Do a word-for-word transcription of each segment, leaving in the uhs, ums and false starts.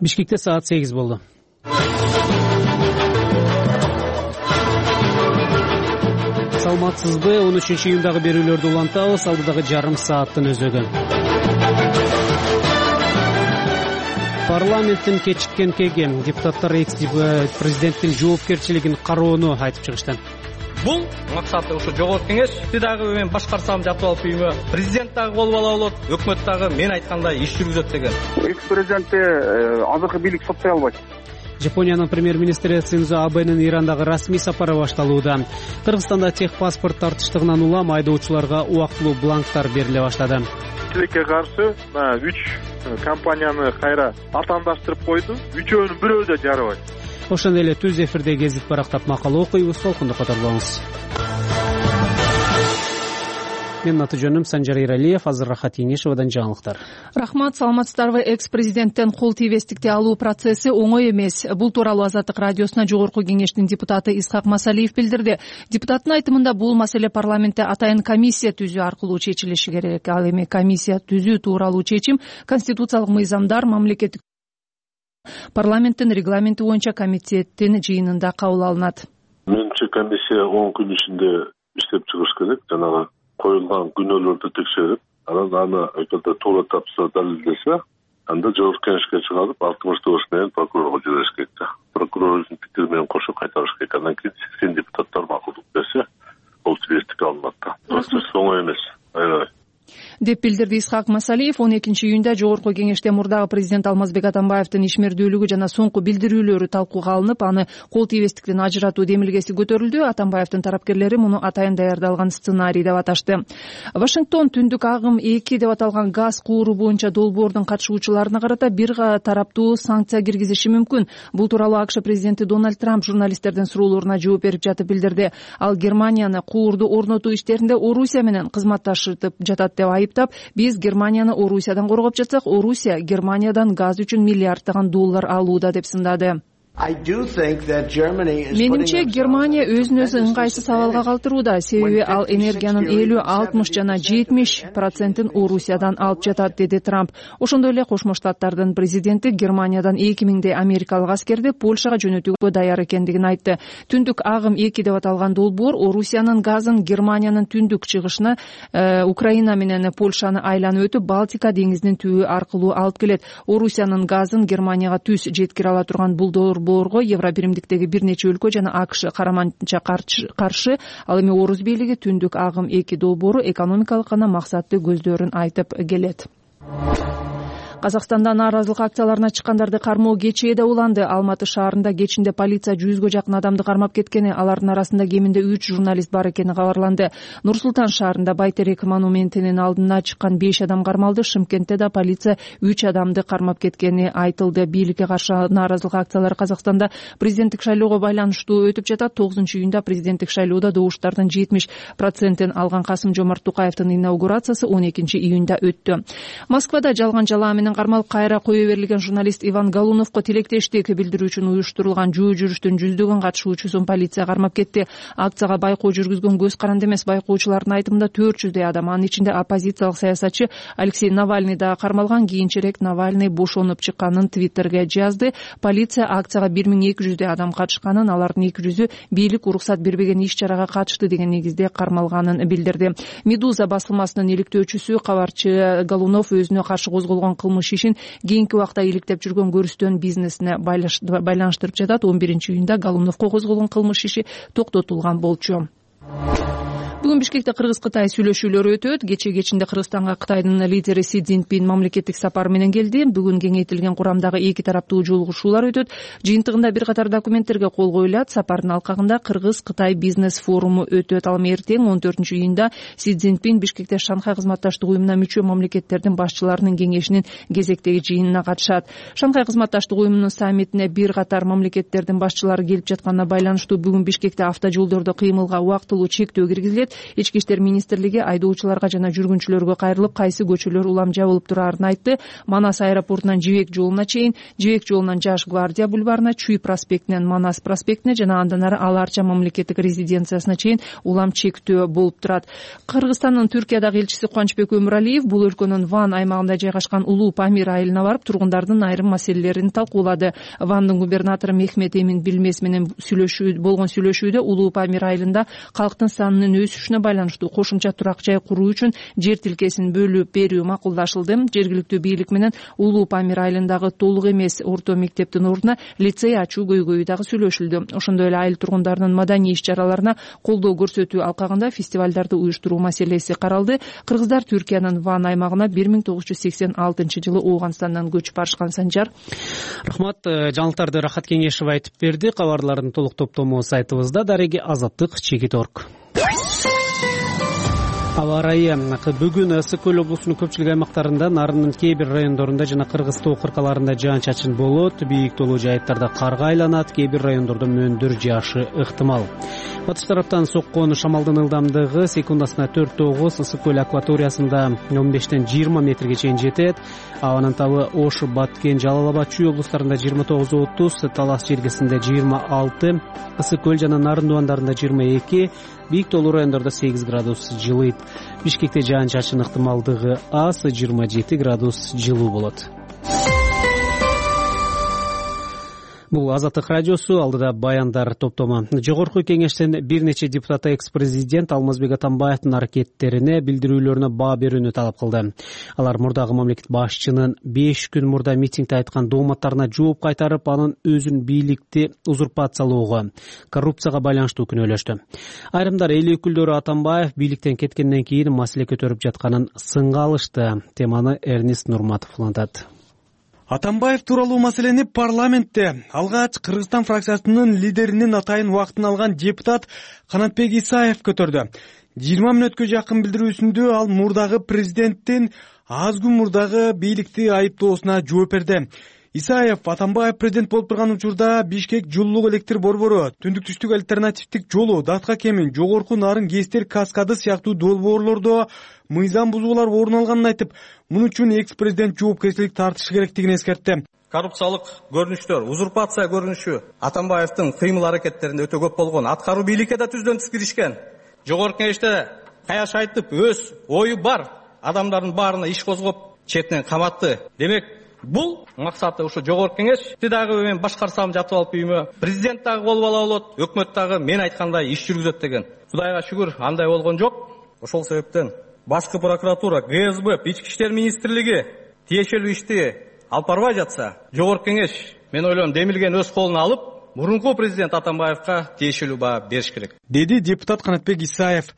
Бишкекте саат сегиз болду. Саламатсызбы? он үчүнчү июндагы берүүлөрдү улантабыз. Алдыдагы жарым сааттын өзөгү. Парламенттин кечиккен кеген депутаттар экс-президенттин жоопкерчилигин кароону айтып чыгышты. Бул максаты ушу жогорку кеңеш дагы мен башкарсам жатып алып үйүмө, президент дагы болуп ала болот, өкмөт дагы мен айткандай иш жүргүзөт деген. Экс-президентти азыркы бийлик соттой албайт. Жапониянын премьер-министри Синдзо Абэнин Ирандагы расмий сапары башталууда. Кыргызстанда техпаспорт тартыштыгынан улам айдоочуларга убактылуу бланктар бериле баштады. Тилекке каршы үч компанияны кайра атаандаштырып койду. Үчөөнүн бирөө да жарабайт. Ошондой эле түз эфирде гезит барактап макала окуйбуз. Толкунду катар болуңуз. Менин аты жөнүм Санжар Иралиев. Азыр Рахат Еңешевадан жаңылыктар. Рахмат, саламатсыздарбы? Экс-президенттен кол тийбестикти алуу процесси оңой эмес. Бул тууралуу Азаттык радиосуна жогорку кеңештин депутаты Исхак Масалиев билдирди. Депутаттын айтымында бул маселе парламентте атайын комиссия түзүү аркылуу чечилиши керек. Ал эми комиссия түзүү тууралуу чечим конституциялык мыйзамдар, мамлекеттик парламенттин регламенти боюнча комитеттин жыйынында кабыл алынат. Менимче комиссия он күн ичинде иштеп чыгыш керек. Жанагы коюлган күнөөлөрдү текшерип, анан аны эгерде туура тапса, далилдесе, анда жогорку кеңешке чыгарып, алтымыш тогуз менен прокурорго жибериш керек. Прокурордун пикири менен кошо кайтарыш керек. Андан кийин сексен депутаттар макулдук берсе, ол тийбестик алынат да. Процесс оңой эмес. Аябай деп билдирди Исхак Масалиев. он экинчи июнда жогорку кеңеште мурдагы президент Алмазбек Атамбаевдин ишмердүүлүгү жана соңку билдирүүлөрү талкууга алынып, аны кол тийбестиктен ажыратуу демилгеси көтөрүлдү. Атамбаевдин тарапкерлери муну атайын даярдалган сценарий деп аташты. Вашингтон түндүк агым эки деп аталган газ кууру боюнча долбоордун катышуучуларына карата бир тараптуу санкция киргизиши мүмкүн. Бул тууралуу АКШ президенти Дональд Трамп журналисттердин суроолоруна жооп берип жатып билдирди. Ал Германияны куурду орнотуу иштеринде Орусия менен кызматташып жатат деп айыптап, биз Германияны Орусиядан коргоп жатсак, Орусия Германиядан газ үчүн миллиарддаган доллар алууда деп сындады. Менимче Германия өзүн өзү ыңгайсыз абалга калтырууда, себеби ал энергиянын элүү, алтымыш жана жетимиш процентин Орусиядан алып жатат, деди Трамп. Ошондой эле Кошмо Штаттардын президенти Германиядан эки миңдей америкалык аскерди Польшага жөнөтүүгө даяр экендигин айтты. Түндүк агым эки деп аталган долбоор Орусиянын газын Германиянын түндүк чыгышына э, Украина менен Польшаны айланып өтүп, Балтика деңизинин түбү аркылуу алып келет. Орусиянын газын Германияга түз жеткире ала турган бул долбоорго Евробиримдиктеги бир нече өлкө жана АКШ караманча каршы. Ал эми Орус бийлиги түндүк агым эки долбоору экономикалык гана максатты көздөрүн айтып келет. Казакстанда нааразылык акцияларына чыккандарды кармоо кечээ да уланды. Алматы шаарында кечинде полиция жүзгө жакын адамды кармап кеткени, алардын арасында кеминде үч журналист бар экени кабарланды. Нур-Султан шаарында Байтерек монументинин алдына чыккан беш адам кармалды. Шымкентте да полиция үч адамды кармап кеткени айтылды. Бийликке каршы нааразылык акциялары Казакстанда президенттик шайлоого байланыштуу өтүп жатат. тогузунчу июнда президенттик шайлоодо добуштардын жетимиш процентин алган Касым-Жомарт Тукаевдин инаугурациясы он экинчи июнда өттү. Москвада жалган жалаа менен кармалып кайра кое берилген журналист Иван Галуновго тилектештик билдирүү үчүн уюштурулган жөө жүрүштүн жүздөгөн катышуучусун полиция кармап кетти. Акцияга байкоо жүргүзгөн көз каранды эмес. Байкоочулардын айтымында төрт жүздөй адам, анын ичинде оппозициялык саясатчы Алексей Навальный да кармалган. Кийинчерээк Навальный бошонуп чыкканын Твиттерге жазды. Полиция акцияга бир миң эки жүздөй адам катышканын, алардын эки жүзү бийлик уруксат бербеген иш-чарага катышты деген негизде кармалганын билдирди. Медуза басылмасынын иликтөөчүсү кабарчы Галунов өзүнө каршы козголгон кылмыш ишин кийинки убакта иликтеп жүргөн көрүстөн бизнесине байланыштырып жатат. он биринчи июнда Галуновго козголгон кылмыш иши токтотулган болчу. Бүгүн Бишкекте Кыргыз-Кытай сүйлөшүүлөрү өтөт. Кече кечинде Кыргызстанга Кытайдын лидери Си Цзиньпин мамлекеттик сапар менен келди. Бүгүн кеңейтилген курамдагы эки тараптуу жолугушуулар өтөт. Жыйынтыгында бир катар документтерге кол коюлат. Сапардын алкагында Кыргыз-Кытай бизнес форуму өтөт. Ал эртең он төртүнчү июнда Си Цзиньпин Бишкекте Шанхай кызматташтык уюмуна мүчө мамлекеттердин башчыларынын кеңешинин кезектеги жыйынына катышат. Шанхай кызматташтык уюмунун саммитине бир катар мамлекеттердин башчылары келип жатканына байланыштуу бүгүн Бишкекте автожолдордо кыймылга убактылуу чектөө киргизилет. элестет. Ички иштер министрлиги айдоочуларга жана жүргүнчүлөргө кайрылып, кайсы көчөлөр улам жабылып турарын айтты. Манас аэропортунан Жибек жолуна чейин, Жибек жолунан Жаш гвардия бульварына, Чүй проспектинен Манас проспектине жана андан ары Ал Арча мамлекеттик резиденциясына чейин улам чектөө болуп турат. Кыргызстандын Түркиядагы элчиси Кубанычбек Өмүралиев бул өлкөнүн Ван аймагында жайгашкан Улуу Памир айылына барып, тургундардын айрым маселелерин талкуулады. Вандын губернатору Мехмет Эмин Билмес менен сүйлөшүү болгон сүйлөшүүдө Улуу Памир айылында калктын санынын өсүшүнө байланыштуу кошумча турак жай куруу үчүн жер тилкесин бөлүп берүү макулдашылды. Жергиликтүү бийлик менен Улуу Памир айылындагы толук эмес орто мектептин ордуна лицей ачуу көйгөйү дагы сүйлөшүлдү. Ошондой эле айыл тургундарынын маданий иш-чараларына колдоо көрсөтүү алкагында фестивалдарды уюштуруу маселеси каралды. Кыргыздар Түркиянын Ван аймагына бир миң тогуз жүз сексен алтынчы жылы Ооганстандан көчүп барышкан. Санжар. Рахмат. Жаңылыктарды Рахат Кеңешев айтып берди. Кабарлардын толук топтому сайтыбызда. Дареги Азаттык чекит орг. Аба ырайы бүгүн Ысык көл облусунун көпчүлүк аймактарында, Нарындын кээ бир райондорунда жана Кыргыз тоо кыркаларында жаан-чачын болот. Бийик толуу жайыттарда карга айланат, кээ бир райондордо мөөндөр жаашы ыктымал. Батыш тараптан соккон шамалдын ылдамдыгы секундасына төрт тогуз, Ысык көл акваториясында он бештен жыйырма метрге чейин жетет. Абанын табы Ош, Баткен, Жалал Абад, Чүй облустарында жыйырма тогуз отуз, Талас жергесинде жыйырма алты, Ысык көл жана Нарын дубандарында жыйырма эки, бийик толуу райондордо сегиз градус жылыйт. Бишкекте жаан-чачын ыктымалдыгы аз, жыйырма жети градус жылуу болот. Бул Азаттык радиосу, алдыда баяндар топтому. Жогорку кеңештен бир нече депутат экс-президент Алмазбек Атамбаевдин аракеттерине, билдирүүлөрүнө баа берүүнү талап кылды. Алар мурдагы мамлекет башчынын беш күн мурда митингде айткан дооматтарына жооп кайтарып, анын өзүн бийликти узурпациялоого, коррупцияга байланыштуу күнөөлөштү. Айрымдар эл өкүлдөрү Атамбаев бийликтен кеткенден кийин маселе көтөрүп жатканын сынга алышты. Теманы Эрнест Нурматов улантат. Атамбаев тууралуу маселени парламентте алгач Кыргызстан фракциясынын лидеринин атайын убактын алган депутат Канатбек Исаев көтөрдү. жыйырма мүнөткө жакын билдирүүсүндө ал мурдагы президенттин аз күн мурдагы бийликти айыптоосуна жооп берди. Исаев Атамбаев президент болуп турган учурда Бишкек жылуулук электр борбору, түндүк түштүк альтернативдик жолу, Датка кемин, жогорку Нарын ГЭСтер каскады сыяктуу долбоорлордо мыйзам бузуулар орун алганын айтып, муну үчүн экс-президент жоопкерчилик тартышы керектигин эскертти. Коррупциялык көрүнүштөр, узурпация көрүнүшү Атамбаевдин кыймыл аракеттеринде өтө көп болгон. Аткаруу бийликке да түздөн түз киришкен. Жогорку кеңеште каяш айтып, өз ою бар адамдардын баарына иш козгоп, четинен каматты. Демек, бул максаты ушу жогорку кеңешти дагы мен башкарсам жатып алып үйүмө, президент дагы болуп ала болот, өкмөт дагы мен айткандай иш жүргүзөт деген. Кудайга шүгүр, андай болгон жок. Ошол себептен башкы прокуратура, ГСБ, Ички иштер министрлиги тиешелүү ишти алып барбай жатса, жогорку кеңеш, мен ойлойм, демилген өз колуна алып, мурунку президент Атамбаевга тиешелүү баа бериш керек, деди депутат Канатбек Исаев.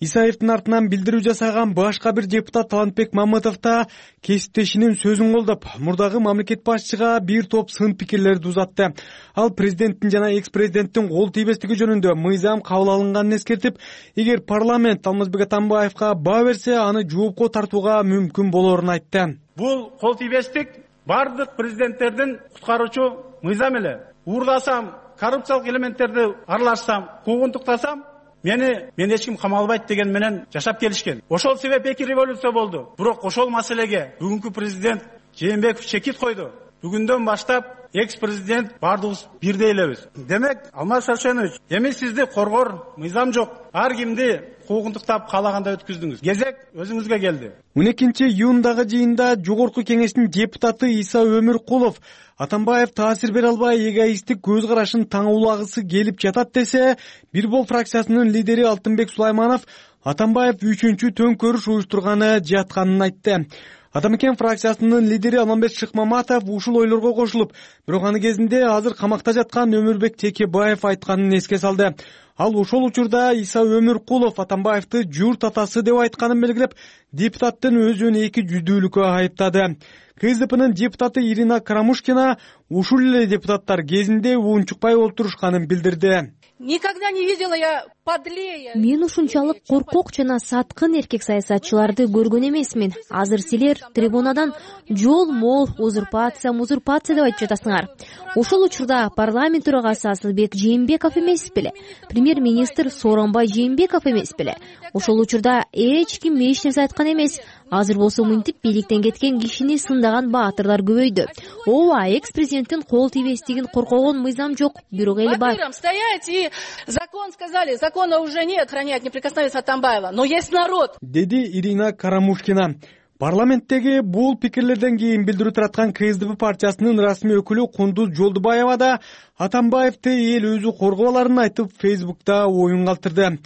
Исаевдин артынан билдирүү жасаган башка бир депутат Талантбек Мамытов да кесиптешинин сөзүн колдоп, мурдагы мамлекет башчыга бир топ сын пикирлерди узатты. Ал президенттин жана экс-президенттин кол тийбестиги жөнүндө мыйзам кабыл алынганын эскертип, эгер парламент Алмазбек Атамбаевга баа берсе, аны жоопко тартууга мүмкүн болоорун айтты. Бул кол тийбестик бардык президенттердин куткаруучу мыйзам эле. Уурдасам, коррупциялык элементтерди аралашсам, куугунтуктасам, Мени мен эч ким камалбайт деген менен жашап келишкен. Ошол себеп эки революция болду. Бирок ошол маселеге бүгүнкү президент Жээнбеков чекит койду. Бүгүндөн баштап экс-президент бардыгыбыз бирдей элебиз. Демек, Алмаз Шаршенович, эми сизди коргор мыйзам жок. Ар кимди куугунтуктап каалагандай өткүздүңүз. Кезек өзүңүзгө келди. он экинчи июндагы жыйында жогорку кеңештин депутаты Иса Өмүркулов Атамбаев таасир бере албай эгоисттик көз карашын таңуулагысы келип жатат десе, бир бол фракциясынын лидери Алтынбек Сулайманов Атамбаев үчүнчү төңкөрүш уюштурганы жатканын айтты. Атамекен фракциясынын лидери Алмамбет Шыкмаматов ушул ойлорго кошулуп, бирок аны кезинде азыр камакта жаткан Өмүрбек Текебаев айтканын эске салды. Ал ошол учурда Иса Өмүркулов Атамбаевди журт атасы деп айтканын белгилеп, депутаттын өзүн эки жүздүүлүккө айыптады. КСДПнын депутаты Ирина Карамушкина ушул эле депутаттар кезинде уунчукпай олтурушканын билдирди. Никогда не видела я подлее. Мен ушунчалык коркок жана саткын эркек саясатчыларды көргөн эмесмин. Азыр силер трибунадан жол мол, узурпация, музурпация деп айтып жатасыңар. Ошол учурда парламент төрагасы Асылбек Жээнбеков эмес беле? Премьер премьер-министр Сооронбай Жээнбеков эмес беле? Ошол учурда эч ким эч нерсе айткан эмес. Азыр болсо мынтип бийликтен кеткен кишини сындаган баатырлар көбөйдү. Ооба, экс-президенттин кол тийбестигин коркогон мыйзам жок, бирок эли бар. Стоять и закон сказали, закона уже нет, охраняет неприкосновенность Атамбаева, но есть народ. Деди Ирина Карамушкина. Парламенттеги бул пикирлерден кийин билдирүү тараткан КСДП партиясынын расмий өкүлү Кундуз Жолдубаева да Атамбаевди эл өзү коргой аларын айтып, Фейсбукта оюн калтырды.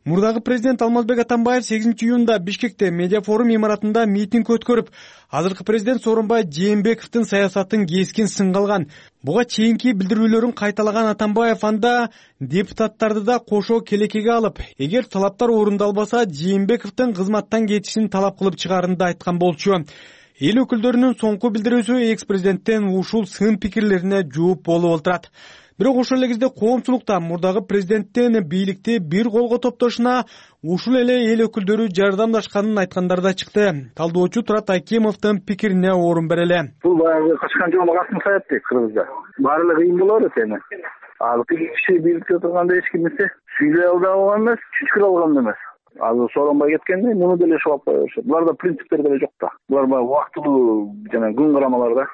Мурдагы президент Алмазбек Атамбаев сегизинчи июнда Бишкекте медиа форум имаратында митинг өткөрүп, азыркы президент Сооронбай Жээнбековдун саясатын кескин сынга алган. Буга чейинки билдирүүлөрүн кайталаган Атамбаев анда депутаттарды да кошо келекеге алып, эгер талаптар орундалбаса, Жээнбековдун кызматтан кетишин талап кылып чыгарын да айткан болчу. Эл өкүлдөрүнүн соңку билдирүүсү экс-президенттен ушул сын пикирлерине жооп болуп отурат. Бирок ошол эле кезде коомчулукта мурдагы президенттен бийликти бир колго топтошуна ушул эле эл өкүлдөрү жардамдашканын айткандар да чыкты. Талдоочу Турат Айкемовдун пикирине орун берели. Бул баягы качкан жолдо касым саяпты Кыргызда. Баары эле кыйын болот эми. Ал киши бийликте турганда эч кимсе сүйлөй алган эмес, чүчкүр алган эмес. Азыр Сооронбай кеткенде муну деле шоп кое беришет. Буларда принциптер деле жок да. Булар баягы убактылуу жана күн карамалар да.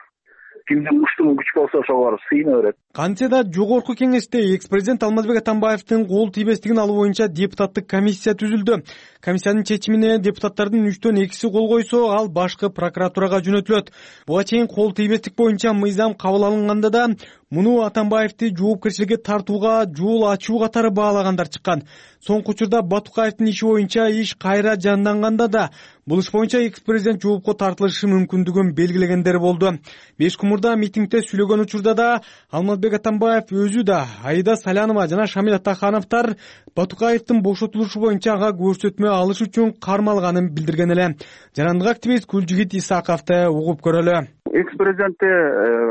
Кимдин муштуму күч болсо ошого сыйына берет. Кантсе да жогорку кеңеште экс-президент Алмазбек Атамбаевдин кол тийбестигин алуу боюнча депутаттык комиссия түзүлдү. Комиссиянын чечимине депутаттардын үчтөн экиси кол койсо, ал башкы прокуратурага жөнөтүлөт. Буга чейин кол тийбестик боюнча мыйзам кабыл алынганда да муну Атамбаевди жоопкерчиликке тартууга жол ачуу катары баалагандар чыккан. Соңку учурда Батукаевдин иши боюнча иш кайра жанданганда да бул иш боюнча экс-президент жоопко тартылышы мүмкүндүгүн белгилегендер болду. Беш күн мурда митингде сүйлөгөн учурда да Алмазбек Атамбаев өзү да, Аида Салянова жана Шамил Атахановдор Батукаевдин бошотулушу боюнча ага көрсөтмө алыш үчүн кармалганын билдирген эле. Жарандык активист Гүлжигит Исаковду угуп көрөлү. Экс-президентти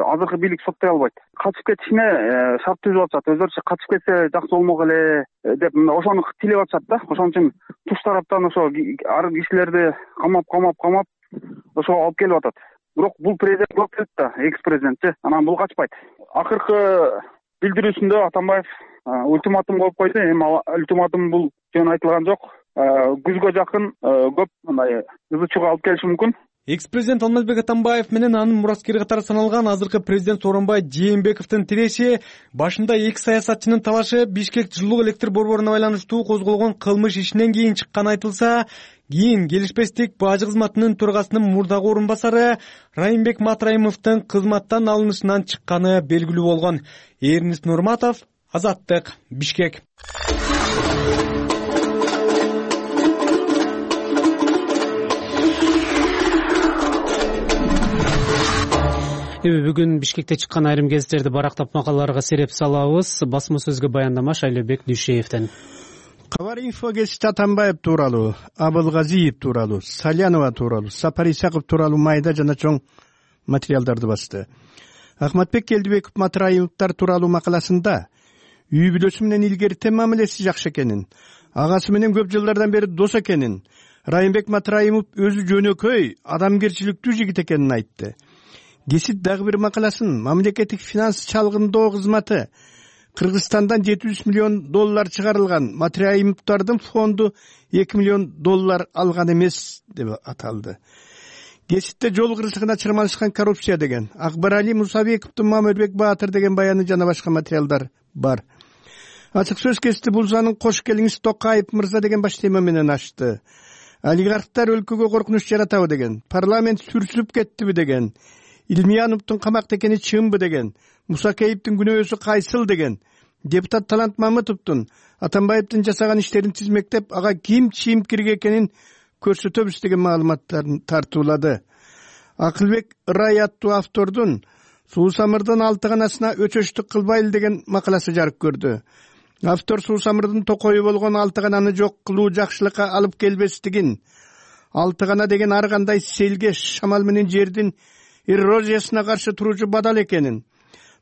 азыркы бийлик соттой албайт. Качып кетишине шарт түзүп атышат. Өзүлөрчө качып кетсе жакшы болмок эле деп ошону тилеп атышат да. Ошон үчүн туш тараптан ошо ар кишилерди камап камап камап ошо алып келип атат. Бирок бул президент болуп кетти да, экс-президентчи. Анан бул качпайт. Акыркы билдирүүсүндө Атамбаев ультиматум коюп койду. Эми ультиматум бул жөн айтылган жок. Күзгө жакын көп мындай ызы чуу алып келиши мүмкүн. Экс-президент Алмазбек Атамбаев менен анын мураскери катары саналган азыркы президент Сооронбай Жээнбековдун тиреши, башында эки саясатчынын талашы Бишкек жылуу электр борборуна байланыштуу козголгон кылмыш ишинен кийин чыккан айтылса, кийин келишпестик бажы кызматынын төрагасынын мурдагы орун басары Райымбек Матраимовдун кызматтан алынышынан чыкканы белгилүү болгон. Эрнис Нурматов, Азаттык, Бишкек. Бүгүн Бишкекте чыккан айрым гезиттерди барактап макалаларга сереп салабыз. Басма сөзгө баяндама Шайлообек Дүйшеевден. Кабар инфо гезити Атамбаев тууралуу, Абылгазиев тууралуу, Салянова тууралуу, Сапар Исаков тууралуу майда жана чоң материалдарды басты. Ахматбек Келдибеков Матраимовдор тууралуу макаласында үй бүлөсү менен илгерте мамилеси жакшы экенин, агасы менен көп жылдардан бери дос экенин, Райымбек Матраимов өзү жөнөкөй, адамгерчиликтүү жигит экенин айтты. Гесит дагы бир макаласын мамлекеттик финанс чалгындоо кызматы Кыргызстандан жети жүз миллион доллар чыгарылган, Матраимовдордун фонду эки миллион доллар алган эмес деп аталды. Геситте жол кырсыгына чырмалышкан коррупция деген, Акбарали Мусабековдун Мамырбек Баатыр деген баяны жана башка материалдар бар. Ачык сөз гесити бул занын кош келиңиз Токаев мырза деген баш тема менен ачты. Олигархтар өлкөгө коркунуч жаратабы деген, парламент сүрсүлүп кеттиби деген, Илмияновдун камакта экени чынбы деген, Мусакеевдин күнөөсү кайсыл деген, депутат Талант Мамытовдун Атамбаевдин жасаган иштерин тизмектеп, ага ким чийимкирге экенин көрсөтөбүз деген маалыматтарын тартуулады. Акылбек Рай аттуу автордун Суусамырдын алтыганасына өчөчтүк кылбайлы деген макаласы жарык көрдү. Автор Суусамырдын токою болгон алтыгананы жок кылуу жакшылыкка алып келбестигин, алтыгана деген ар кандай селге, шамал менен жердин эрозиясына каршы туруучу бадал экенин,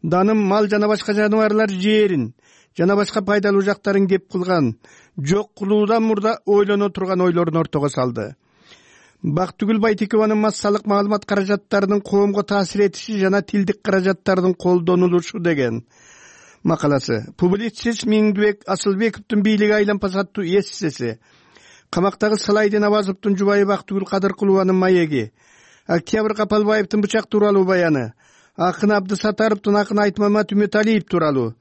даным, мал жана башка жаныбарлар жээрин жана башка пайдалуу жактарын кеп кылган, жок кылуудан мурда ойлоно турган ойлорун ортого салды. Бактыгүл Байтекованын массалык маалымат каражаттарынын коомго таасир этиши жана тилдик каражаттардын колдонулушу деген. макаласы. Публицист Миңдибек Асылбековдун бийлиги айлампа саттуу эссеси, камактагы Салайдин Абазовдун жубайы Бактыгүл Кадыркулованын маеги, Октябрь Капалбаевдин бычак тууралуу баяны, акын Абдысатаровдун акын Айтмамат Үмөталиев тууралуу,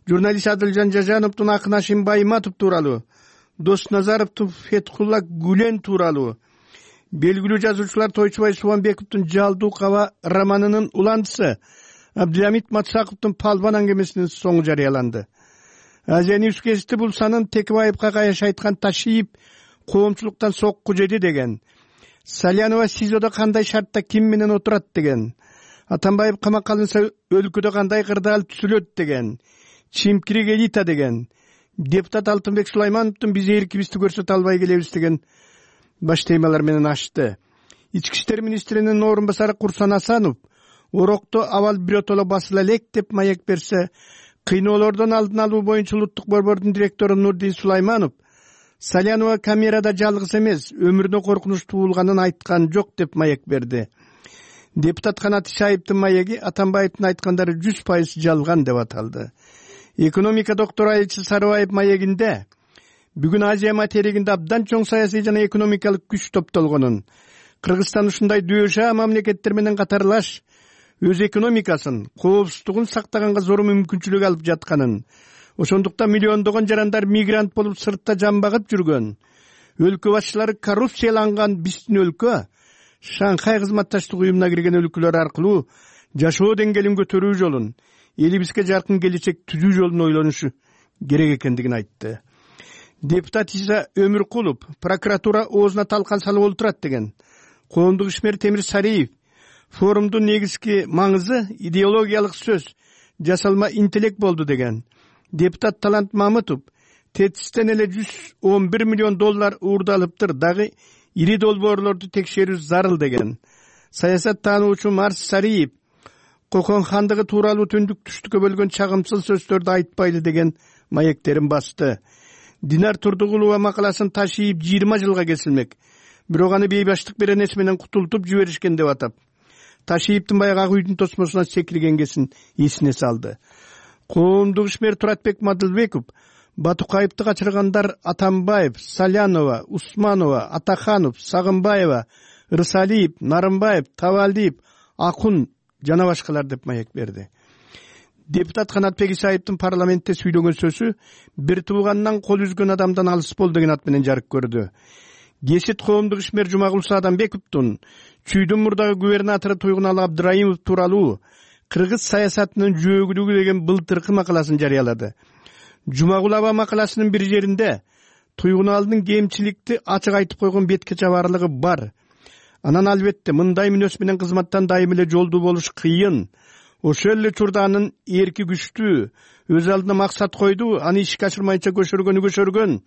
журналист Адылжан Жажановдун акын Ашим Байматов тууралуу, Досназаровдун Фетхулла Гүлен тууралуу, белгилүү жазуучулар Тойчубай Субанбековдун Жалдуу Каба романынын уландысы Абдыамит Матсаковдун Палбан аңгемесинин соңу жарыяланды. Азия Ньюс гезити бул санын Текебаевка каяш айткан Ташиев коомчулуктан сокку жеди деген, Салянова СИЗОдо кандай шартта ким менен отурат деген, Атамбаев камакка алынса өлкөдө кандай кырдаал түзүлөт деген, чимкирик элита деген, депутат Алтынбек Сулаймановдун биз эркибизди көрсөтө албай келебиз деген баш темалар менен ачты. Ички иштер министринин орун басары Курсан Асанов Орокто абал биротоло басыла элек деп маек берсе, кыйноолордон алдын алуу боюнча улуттук борбордун директору Нурдин Сулайманов Салянова камерада жалгыз эмес, өмүрүнө коркунуч туулганын айткан жок деп маек берди. Депутат Канат Ишаевдин маеги Атамбаевдин айткандары жүз пайыз жалган деп аталды. Экономика доктору Айчы Сарыбаев маегинде бүгүн Азия материгинде абдан чоң саясий жана экономикалык күч топтолгонун, Кыргызстан ушундай дөшаа мамлекеттер менен катарлаш өз экономикасын, коопсуздугун сактаганга зор мүмкүнчүлүк алып жатканын, ошондуктан миллиондогон жарандар мигрант болуп сыртта жан багып жүргөн, өлкө башчылары коррупцияланган биздин өлкө Шанхай кызматташтык уюмуна кирген өлкөлөр аркылуу жашоо деңгээлин көтөрүү жолун, элибизге жаркын келечек түзүү жолун ойлонушу керек экендигин айтты. Депутат Иса Өмүркулов прокуратура оозуна талкан салып олтурат деген, коомдук ишмер Темир Сариев форумдун негизги маңызы идеологиялык сөз, жасалма интеллект болду деген, депутат Талант Мамытов ТЭЦтен эле жүз он бир миллион доллар уурдалыптыр, дагы ири долбоорлорду текшерүү зарыл деген, саясат таануучу Марс Сариев Кокон хандыгы тууралуу түндүк түштүккө бөлгөн чагымсыз сөздөрдү айтпайлы деген маектерин басты. Динар Турдугулова макаласын Ташиев жыйырма жылга кесилмек, бирок аны бейбаштык берен эс менен кутултуп жиберишкен деп атап, Ташиевдин баягы ак үйдүн тосмосуна секиргенгесин эсине салды. Коомдук ишмер Туратбек Мадылбеков Батукаевди качыргандар Атамбаев, Салянова, Усманова, Атаханов, Сагынбаева, Рысалиев, Нарымбаев, Тавалдиев, Акун жана башкалар деп маек берди. Депутат Канатбек Исаевдин парламентте сүйлөгөн сөзү бир тууганынан кол үзгөн адамдан алыс бол деген ат менен жарык көрдү. Гесит коомдук ишмер Жумагул Саадамбековдун чүйдүн мурдагы губернатору Туйгуналы Абдыраимов тууралуу кыргыз саясатынын жөөгүлүгү деген былтыркы макаласын жарыялады. Жумагул аба макаласынын бир жеринде Туйгуналдын кемчиликти ачык айтып койгон бетке чабарлыгы бар. Анан албетте мындай мүнөз менен кызматтан дайым эле жолдуу болуш кыйын. Ошол эле учурда анын эрки күчтүү, өз алдына максат койду, аны ишке ашырмайынча көшөргөнү көшөргөн.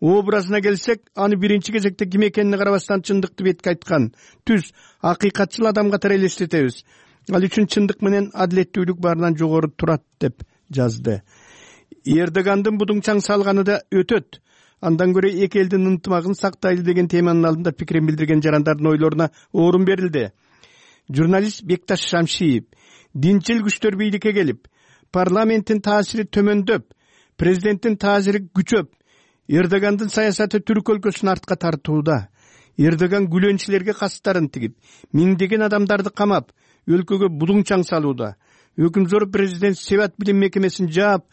Образына келсек, аны биринчи кезекте ким экенине карабастан чындыкты бетке айткан, түз, акыйкатчыл адам катары элестетебиз. Ал үчүн чындык менен адилеттүүлүк баарынан жогору турат деп жазды. Эрдогандын будуңчаң салганы да өтөт. Андан көрө эки элдин ынтымагын сактайлы деген теманын алдында пикирин билдирген жарандардын ойлоруна орун берилди. Журналист Бекташ Шамшиев динчил күчтөр бийликке келип, парламенттин таасири төмөндөп, президенттин таасири күчөп, Эрдогандын саясаты Түрк өлкөсүн артка тартууда. Эрдоган гүлөнчүлөргө кастарын тигип, миңдеген адамдарды камап, өлкөгө будуңчаң салууда. Өкүмзор президент Себат билим мекемесин жаап,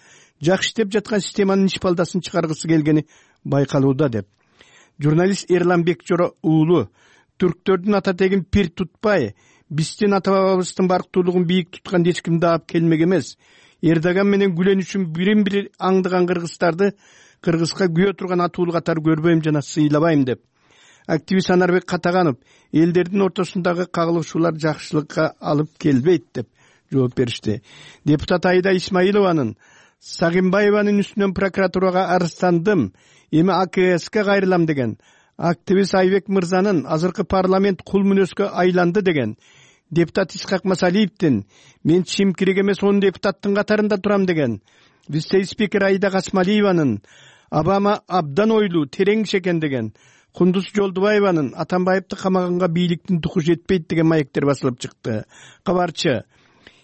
жакшы иштеп жаткан системанын ишпалдасын чыгаргысы келгени байкалууда деп. Журналист Эрлан Бекжоро уулу түрктөрдүн ата тегин пир тутпай, биздин ата бабабыздын барктуулугун бийик туткан эч ким даап келмек эмес. Эрдоган менен Гүлен үчүн бирин-бири аңдыган кыргыздарды кыргызга күйө турган атуулу катары көрбөйм жана сыйлабайм деп. Активист Анарбек Катаганов элдердин ортосундагы кагылышуулар жакшылыкка алып келбейт деп жооп беришти. Депутат Айда Исмаилованын Сагынбаеванын үстүнөн прокуратурага арыздандым, эми А К Ске кайрылам деген, активист Айбек мырзанын азыркы парламент кул мүнөзгө айланды деген, депутат Исхак Масалиевдин мен чимкирик эмес он депутаттын катарында турам деген, вице-спикер Айда Касмалиеванын Обама абдан ойлуу, терең экен деген, Кундуз Жолдубаеванын Атамбаевди камаганга бийликтин туху жетпейт деген маектер басылып чыкты. Кабарчы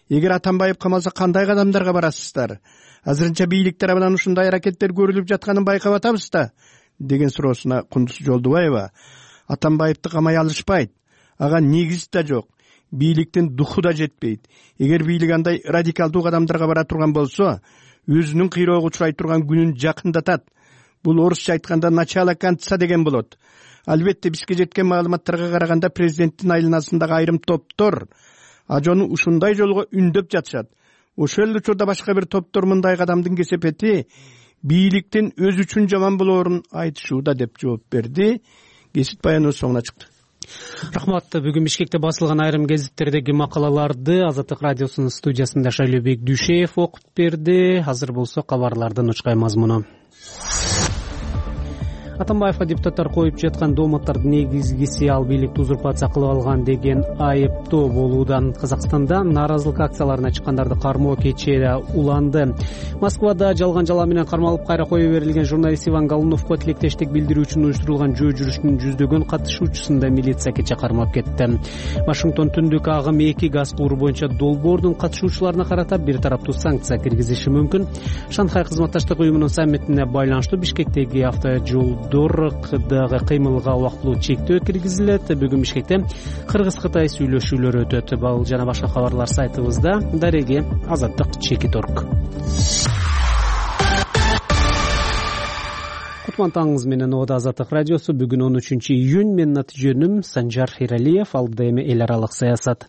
эгер Атамбаев камалса кандай кадамдарга барасыздар? Азырынча бийлик тарабынан ушундай аракеттер көрүлүп жатканын байкап атабыз да, деген суроосуна Кундуз Жолдубаева Атамбаевди камай алышпайт, ага негиз да жок, бийликтин духу да жетпейт. Эгер бийлик андай радикалдуу кадамдарга бара турган болсо, өзүнүн кыйроого учурай турган күнүн жакындатат. Бул орусча айтканда начало конца деген болот. Албетте бизге жеткен маалыматтарга караганда президенттин айланасындагы айрым топтор ажону ушундай жолго үндөп жатышат. Ошол учурда башка бир топтор мындай кадамдын кесепети бийликтин өз үчүн жаман болоорун айтышууда, деп жооп берди. Кесип баяныбыз соңуна чыкты. Рахмат. Бүгүн Бишкекте басылган айрым гезиттердеги макалаларды Азаттык радиосунун студиясында Шайлообек Дүйшеев окуп берди. Азыр болсо кабарлардын учкай мазмуну. Атамбаевга депутаттар коюп жаткан дооматтардын негизгиси ал бийликти узурпация кылып алган деген айыптоо болууда. Казакстанда нааразылык акцияларына чыккандарды кармоо кечээ уланды. Москвада жалган жала менен кармалып кайра кое берилген журналист Иван Голуновго тилектештик билдирүү үчүн уюштурулган жөө жүрүштүн жүздөгөн катышуучусун да милиция кечээ кармап кетти. Вашингтон түндүк агым эки газ кууру боюнча долбоордун катышуучуларына карата бир тараптуу санкция киргизиши мүмкүн. Шанхай кызматташтык уюмунун саммитине байланыштуу Бишкектеги автожол дагы кыймылга убактылуу чектөө киргизилет. Бүгүн Бишкекте Кыргыз-Кытай сүйлөшүүлөрү өтөт. Бул жана башка кабарлар сайтыбызда. Дареги Азаттык чекит точка орг. Кутман менен Ода Азаттык радиосу. Бүгүн он үчүнчү июнь. Менин аты жөнүм Санжар Хиралиев. Алдыда эми эл аралык саясат.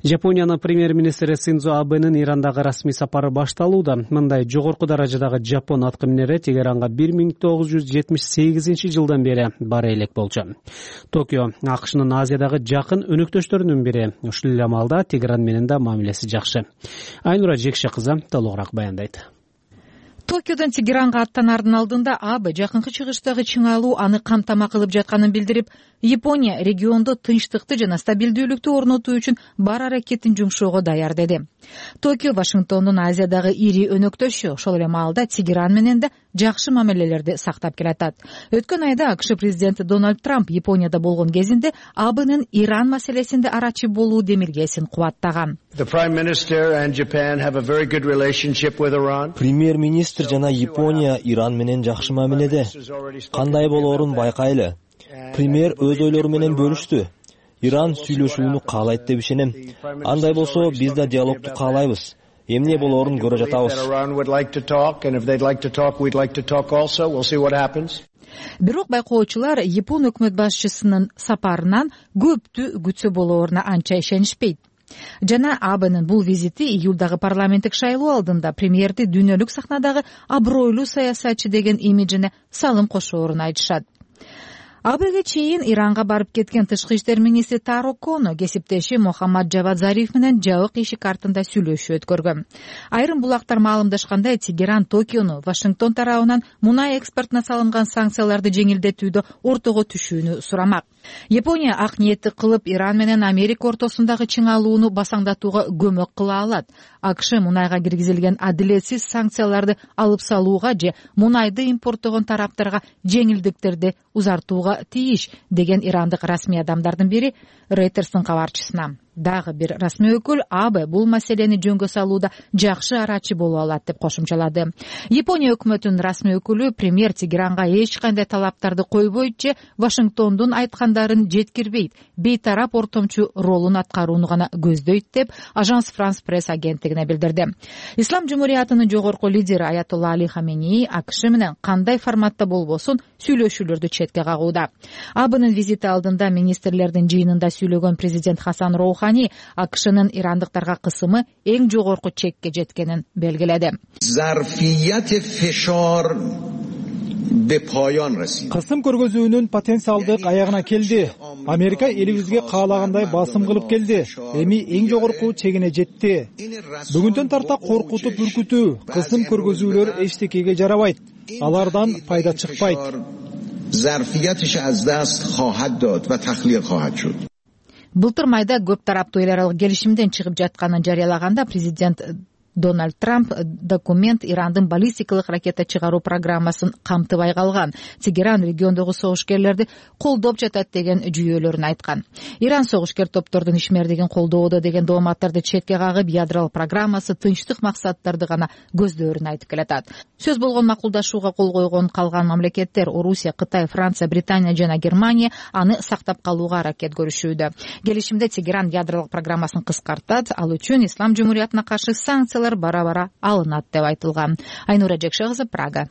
Жапониянын премьер-министри Синдзо Абенин Ирандагы расмий сапары башталууда. Мындай жогорку даражадагы жапон аткаминери Тегеранга бир миң тогуз жүз жетимиш сегизинчи жылдан бери бара элек болчу. Токио АКШнын Азиядагы жакын өнөктөштөрүнүн бири. Ушул эле маалда Тегеран менен да мамилеси жакшы. Айнура Жекше кызы толугураак баяндайт. Токиодон Тегеранга аттанаардын алдында Абе жакынкы чыгыштагы чыңалуу аны камтама кылып жатканын билдирип, Япония региондо тынчтыкты жана стабилдүүлүктү орнотуу үчүн бар аракетин жумшоого даяр деди. Токио Вашингтондун Азиядагы ири өнөктөшү, ошол эле маалда Тегеран менен да жакшы мамилелерди сактап келатат. Өткөн айда АКШ президенти Дональд Трамп Японияда болгон кезинде Абенин Иран маселесинде арачы болуу демилгесин кубаттаган. Премьер-министр жана Япония Иран менен жакшы мамиледе. Кандай болоорун байкайлы. Премьер өз ойлору менен бөлүштү. Иран сүйлөшүүнү каалайт деп ишенем. Андай болсо биз да диалогду каалайбыз. Эмне болоорун көрө жатабыз. Бирок байкоочулар Япон өкмөт башчысынын сапарынан көптү күтсө болооруна анча ишенишпейт. Жана Абенин бул визити июлдагы парламенттик шайлоо алдында премьерди дүйнөлүк сахнадагы абройлуу саясатчы деген имиджине салым кошоорун айтышат. Абеге чейин Иранга барып кеткен тышкы иштер министри Таро Коно кесиптеши Мохаммад Джавад Зариф менен жабык ишик артында сүйлөшүү өткөргөн. Айрым булактар маалымдашкандай, Тегеран Токиону Вашингтон тарабынан мунай экспортуна салынган санкцияларды жеңилдетүүдө ортого түшүүнү сурамак. Япония ак ниетти кылып Иран менен Америка ортосундагы чыңалууну басаңдатууга көмөк кыла алат. АКШ мунайга киргизилген адилетсиз санкцияларды алып салууга же мунайды импорттогон тараптарга жеңилдиктерди узартууга тийиш деген ирандык расмий адамдардын бири Рейтерстин кабарчысына. Дагы бир расмий өкүл Абе бул маселени жөнгө салууда жакшы арачы боло алат деп кошумчалады. Япония өкмөтүнүн расмий өкүлү премьер Тегеранга эч кандай талаптарды койбойт же Вашингтондун айткандарын жеткирбейт, бейтарап ортомчу ролун аткарууну гана көздөйт деп Ажанс Франс пресс агенттигине билдирди. Ислам жумуриятынын жогорку лидери Аятолла Али Хамени АКШ менен кандай форматта болбосун сүйлөшүүлөрдү четке кагууда. Абынын визити алдында министрлердин жыйынында сүйлөгөн президент Хасан Роухани АКШнын ирандыктарга кысымы эң жогорку чекке жеткенин белгиледи. Кысым көргөзүүнүн потенциалдык аягына келди. Америка элибизге каалагандай басым кылып келди. Эми эң жогорку чегине жетти. Бүгүндөн тарта коркутуп үркүтүү, кысым көргөзүүлөр эчтекеге жарабайт. Алардан пайда чыкпайт. Былтыр майда көп тараптуу эл аралык келишимден чыгып жатканын жарыялаганда президент Дональд Трамп документ Ирандын баллистикалык ракета чыгаруу программасын камтыбай калган, Тегеран региондогу согушкерлерди колдоп жатат деген жүйөлөрүн айткан. Иран согушкер топтордун ишмердигин колдоодо деген дооматтарды четке кагып, ядролук программасы тынчтык максаттарды гана көздөөрүн айтып келатат. Сөз болгон макулдашууга кол койгон калган мамлекеттер Орусия, Кытай, Франция, Британия жана Германия аны сактап калууга аракет көрүшүүдө. Келишимде Тегеран ядролук программасын кыскартат, ал үчүн Ислам жумуриятына каршы санкциялар бара-бара алынат деп айтылган. Айнура Жекшегызы, Прага.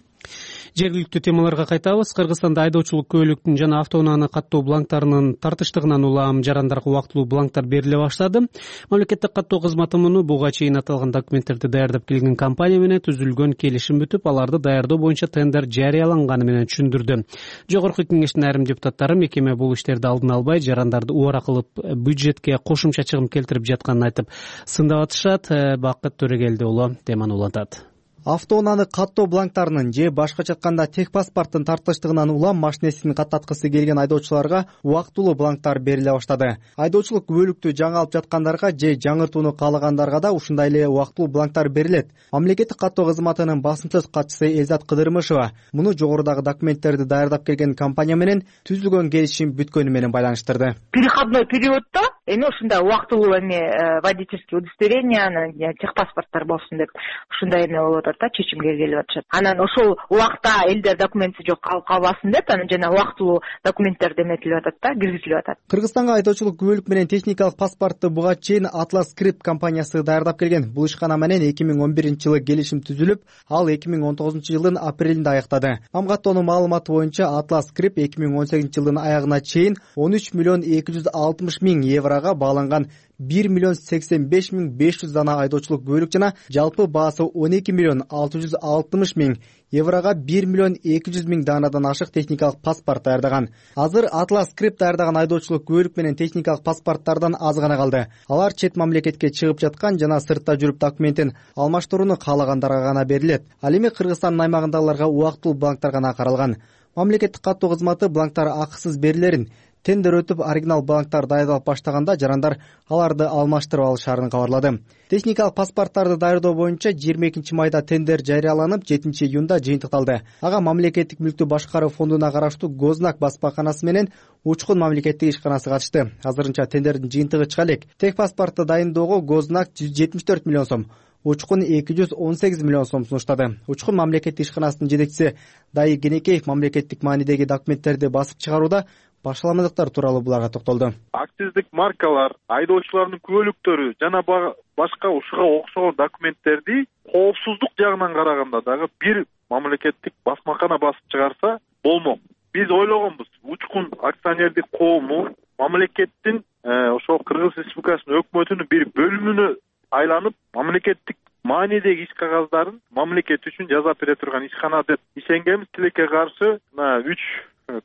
Жергиликтүү темаларга кайтабыз. Кыргызстанда айдоочулук күбөлүктүн жана автоунааны каттоо бланктарынын тартыштыгынан улам жарандарга убактылуу бланктар бериле баштады. Мамлекеттик каттоо кызматы муну буга чейин аталган документтерди даярдап келген компания менен түзүлгөн келишим бүтүп, аларды даярдоо боюнча тендер жарыяланганы менен түшүндүрдү. Жогорку кеңештин айрым депутаттары мекеме бул иштерди алдын албай, жарандарды убара кылып бюджетке кошумча чыгым келтирип жатканын айтып сындап атышат. Бакыт Төрөгелди уулу теманы улантат. Автоунааны каттоо бланктарынын же башкача айтканда техпаспорттун тартыштыгынан улам машинесин каттаткысы келген айдоочуларга убактылуу бланктар бериле баштады. Айдоочулук күбөлүктү жаңы алып жаткандарга же жаңыртууну каалагандарга да ушундай эле убактылуу бланктар берилет. Мамлекеттик каттоо кызматынын басым сөз катчысы Элзат Кыдырмышева муну жогорудагы документтерди даярдап келген компания менен түзүлгөн келишим бүткөнү менен байланыштырды. Переходной периоддо эми ушундай убактылуу эми водительский удостоверение, техпаспорттор болсун деп ушундай эме болуп атат да, чечимге келип атышат. Анан ошол убакта элдер документи жок калып калбасын деп, анан жана убактылуу документтер деметилип атат да, киргизилип атат. Кыргызстанга айдоочулук күбөлүк менен техникалык паспортту буга чейин Atlas Script компаниясы даярдап келген. Бул ишкана менен эки миң он биринчи жылы келишим түзүлүп, ал эки миң он тогузунчу жылдын апрелинде аяктады. Мамгаттоонун маалыматы боюнча Atlas Script эки миң он сегизинчи жылдын аягына чейин он үч миллион эки жүз алтымыш миң еврого бааланган бир миллион сексен беш миң беш жүз дана айдоочулук күбөлүк жана жалпы баасы он эки миллион алты жүз алтымыш миң еврого бир миллион эки жүз миң данадан ашык техникалык паспорт даярдаган. Азыр Atlas Script даярдаган айдоочулук күбөлүк менен техникалык паспорттардан аз гана калды. Алар чет мамлекетке чыгып жаткан жана сыртта жүрүп документин алмаштырууну каалагандарга гана берилет. Ал эми Кыргызстандын аймагындагыларга убактылуу бланктар гана каралган. Мамлекеттик каттоо кызматы бланктар акысыз берилерин, тендер өтүп оригинал бланктар даярдалып баштаганда жарандар аларды алмаштырып алышарын кабарлады. Техникалык паспорттарды даярдоо боюнча жыйырма экинчи майда тендер жарыяланып, жетинчи июнда жыйынтыкталды. Ага мамлекеттик мүлктү башкаруу фондуна караштуу Гознак басмаканасы менен Учкун мамлекеттик ишканасы катышты. Азырынча тендердин жыйынтыгы чыга элек. Техпаспортду дайындоого Гознак жүз жетимиш төрт миллион сом, Учкун эки жүз он сегиз миллион сом сунуштады. Учкун мамлекеттик ишканасынын жетекчиси Дайы Кенекеев мамлекеттик маанидеги документтерди басып чыгарууда башаламалыктар тууралуу буларга токтолду. Акциздик маркалар, айдоочулардын күбөлүктөрү жана башка ушуга окшогон документтерди коопсуздук жагынан караганда дагы бир мамлекеттик басмакана басып чыгарса болмок. Биз ойлогонбуз, Учкун акционердик коому мамлекеттин ошол Кыргыз Республикасынын өкмөтүнүн бир бөлүмүнө айланып, мамлекеттик маанидеги иш кагаздарын мамлекет үчүн жасап бере турган ишкана деп ишенгенбиз. Тилекке каршы үч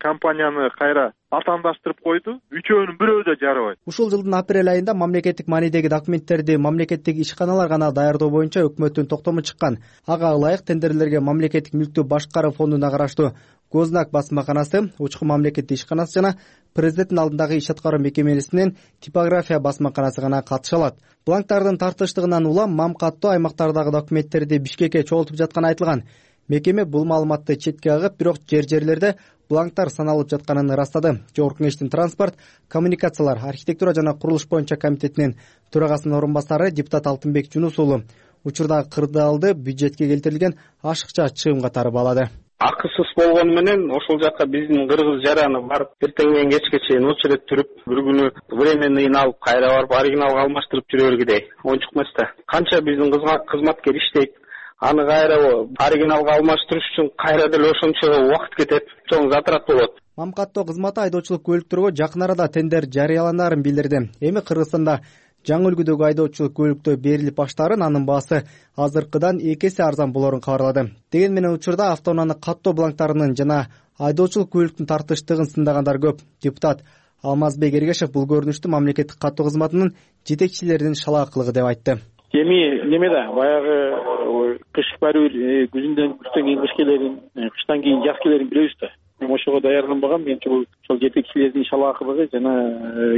компанияны кайра атаандаштырып койду. Үчөөнүн бирөө да жарабайт. Ушул жылдын апрель айында мамлекеттик маанидеги документтерди мамлекеттик ишканалар гана даярдоо боюнча өкмөттүн токтому чыккан. Ага ылайык тендерлерге мамлекеттик мүлктү башкаруу фондуна караштуу Гознак басмаканасы, Учкун мамлекеттик ишканасы жана президенттин алдындагы иш аткаруу мекемесинин типография басмаканасы гана катыша алат. Бланктардын тартыштыгынан улам мамкаттоо аймактардагы документтерди Бишкекке чогултуп жатканы айтылган. Мекеме бул маалыматты четке кагып, бирок жер-жерлерде бланктар саналып жатканын ырастады. Жогорку кеңештин транспорт, коммуникациялар, архитектура жана курулуш боюнча комитетинин төрагасынын орун басары депутат Алтынбек Жунус уулу учурдагы кырдаалды бюджетке келтирилген ашыкча чыгым катары баалады. Акысыз болгону менен ошол жака биздин кыргыз жараны барып, эртең менен кечке чейин очередь түрүп, бир күнү временныйын алып, кайра барып оригиналга алмаштырып жүрө бергидей оңчук эмес да. Канча биздин кызматкер иштейт, аны кайра оригиналга алмаштырыш үчүн кайра деле ошончо убакыт кетет, чоң затрат болот. Мамкаттоо кызматы айдоочулук көлүктөргө жакын арада тендер жарыяланаарын билдирди. Эми Кыргызстанда жаңы үлгүдөгү айдоочулук көлүктөр берилип баштаарын, анын баасы азыркыдан эки эсе арзан болоорун кабарлады. Деген менен учурда автоунааны каттоо бланктарынын жана айдоочулук көлүктүн тартыштыгын сындагандар көп. Депутат Алмазбек Эргешев бул көрүнүштү мамлекеттик каттоо кызматынын жетекчилеринин шалаакылыгы деп айтты. Эми неме да, баягы кыш барыбир күзүндөн күздөн кийин кыш келерин, кыштан кийин жаз келерин билебиз да. ошого даярданбагам. Менимче бул ошол жетекчилердин иш алаакылыгы жана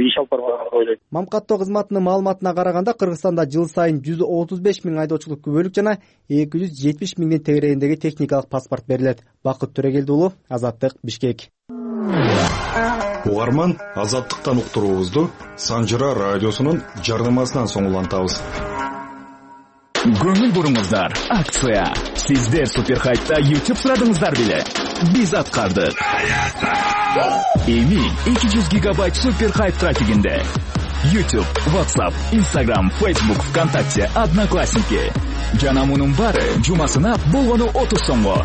иш алып барбаганы деп ойлойм. Мамкаттоо кызматынын маалыматына караганда Кыргызстанда жыл сайын жүз отуз беш миң айдоочулук күбөлүк жана эки жүз жетимиш миңдин тегерегиндеги техникалык паспорт берилет. Бакыт Төрөгелди уулу, Азаттык, Бишкек. Угарман, Азаттыктан уктуруубузду Санжыра радиосунун жардамасынан соң улантабыз. Көңүл буруңуздар, акция. Сиздер Суперхайпта YouTube сурадыңыздар беле? Биз аткардык. Эми эки жүз гигабайт Суперхайп трафигинде. YouTube, WhatsApp, Instagram, Facebook, ВКонтакте, Одноклассники. Жана мунун баары жумасына болгону отуз сомго.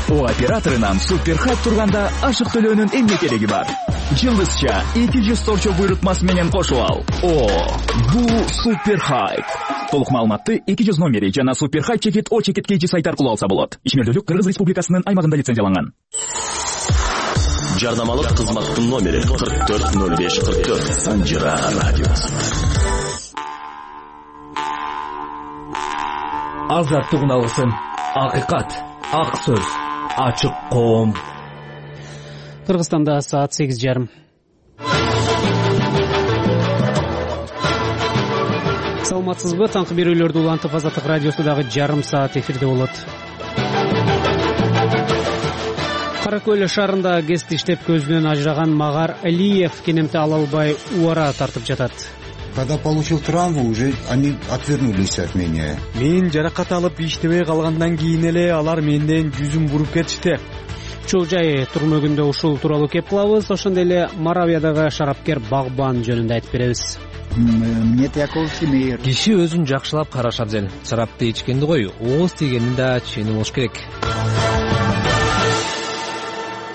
О операторунан Суперхайп турганда ашык төлөөнүн эмне кереги бар? Жылдызча эки жүз торчо буйрутмасы менен кошуп ал. О, бул Суперхайп. Толук маалыматты эки жүз номери жана Суперхайп чекит о чекит kg сайт аркылуу алса болот. Ишмердүүлүк Кыргыз Республикасынын аймагында лицензияланган. Жардамалык кызматтын номери кырк төрт ноль беш кырк төрт. Санжыра радиосу. Азаттыгын алсын. Акыйкат, ак сөз, ачык коом. Кыргызстанда саат сегиз жарым. Саламатсызбы? Таңкы берүүлөрдү улантып Азаттык радиосудагы жарым саат эфирде болот. Кара Көл шаарында ГЭСти иштеп көзүнөн ажыраган Магар Алиев кенемти ала албай убара тартып жатат. Когда получил травму, уже они отвернулись от меня. Мен жаракат алып иштебей калгандан кийин эле алар менден жүзүн буруп кетишти. Чоо жай турмөгүндө ушул тууралуу кеп кылабыз. Ошондой эле Моравиядагы шарапкер Багбан жөнүндө айтып беребиз. Киши өзүн жакшылап караш абзел. Шарапты ичкенди кой, ооз тийгенин да чени болуш керек.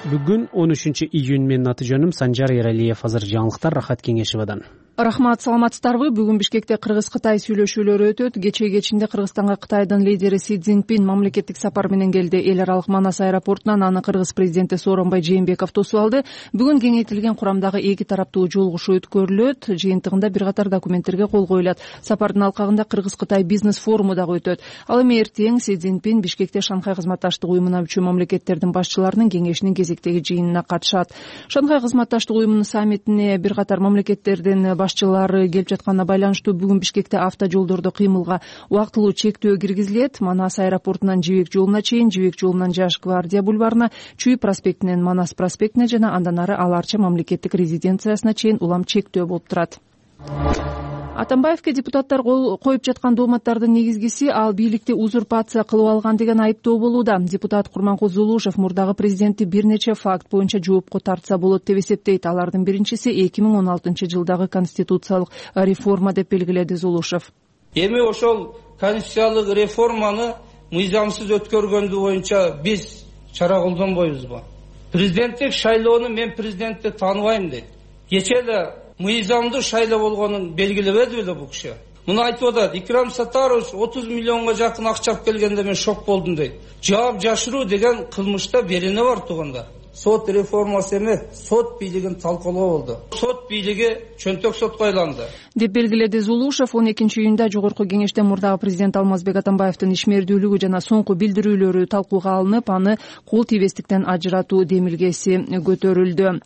Бүгүн он үчүнчү июнь, менин аты жөнүм Санжар Эралиев. Азыр жаңылыктар Рахат Кеңешевадан. Рахмат, саламатсыздарбы? Бүгүн Бишкекте Кыргыз-Кытай сүйлөшүүлөрү өтөт. Кечээ кечинде Кыргызстанга Кытайдын лидери Си Цзиньпин мамлекеттик сапар менен келди. Эл аралык Манас аэропортунан аны Кыргыз президенти Сооронбай Жээнбеков тосуп алды. Бүгүн кеңейтилген курамдагы эки тараптуу жолугушуу өткөрүлөт. Жыйынтыгында бир катар документтерге кол коюлат. Сапардын алкагында Кыргыз-Кытай бизнес форуму дагы өтөт. Ал эми эртең Си Цзиньпин Бишкекте Шанхай кызматташтык уюмуна мүчө мамлекеттердин башчыларынын кеңешинин кезектеги жыйынына катышат. Шанхай кызматташтык уюмунун саммитине бир катар мамлекеттердин башчылары келип жатканына байланыштуу бүгүн Бишкекте автожолдордо кыймылга убактылуу чектөө киргизилет. Манас аэропортунан Жибек жолуна чейин, Жибек жолунан Жаш гвардия бульварына, Чүй проспектинен Манас проспектине жана андан ары Ал Арча мамлекеттик резиденциясына чейин улам чектөө болуп турат. Атамбаевке депутаттар коюп жаткан дооматтардын негизгиси ал бийликти узурпация кылып алган деген айыптоо болууда. Депутат Курманкул Зулушев мурдагы президентти бир нече факт боюнча жоопко тартса болот деп эсептейт. Алардын биринчиси эки миң он алтынчы жылдагы конституциялык реформа деп белгиледи Зулушев. Эми ошол конституциялык реформаны мыйзамсыз өткөргөндү боюнча биз чара колдонбойбузбу? Президенттик шайлоону мен президентти тааныбайм дейт. Кечээ эле мыйзамдуу шайлоо болгонун белгилебеди беле бул киши? Муну айтып атат. Икрам Сатарович отуз миллионго жакын акча алып келгенде мен шок болдум дейт. Жаап жашыруу деген кылмышта берене бар туганда. Сот реформасы эме, сот бийлигин талкуулоо болду. Сот бийлиги чөнтөк сотко айланды деп белгиледи Зулушев. он экинчи июнда жогорку кеңеште мурдагы президент Алмазбек Атамбаевдин ишмердүүлүгү жана соңку билдирүүлөрү талкууга алынып, аны кол тийбестиктен ажыратуу демилгеси көтөрүлдү.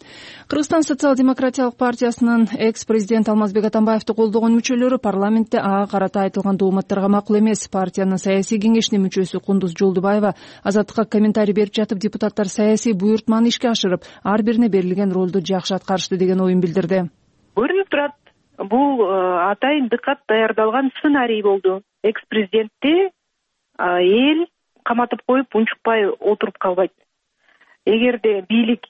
Кыргызстан социал-демократиялык партиясынын экс-президент Алмазбек Атамбаевди колдогон мүчөлөрү парламентте ага карата айтылган дооматтарга макул эмес. Партиянын саясий кеңешинин мүчөсү Кундуз Жолдубаева азаттыкка комментарий берип жатып, депутаттар саясий буйртманы ишке ашырып, ар бирине берилген ролду жакшы аткарышты деген оюн билдирди. Көрүнүп турат, бул атайын дыкат даярдалган сценарий болду. Экс-президентти эл каматып коюп унчукпай отуруп калбайт. Эгерде бийлик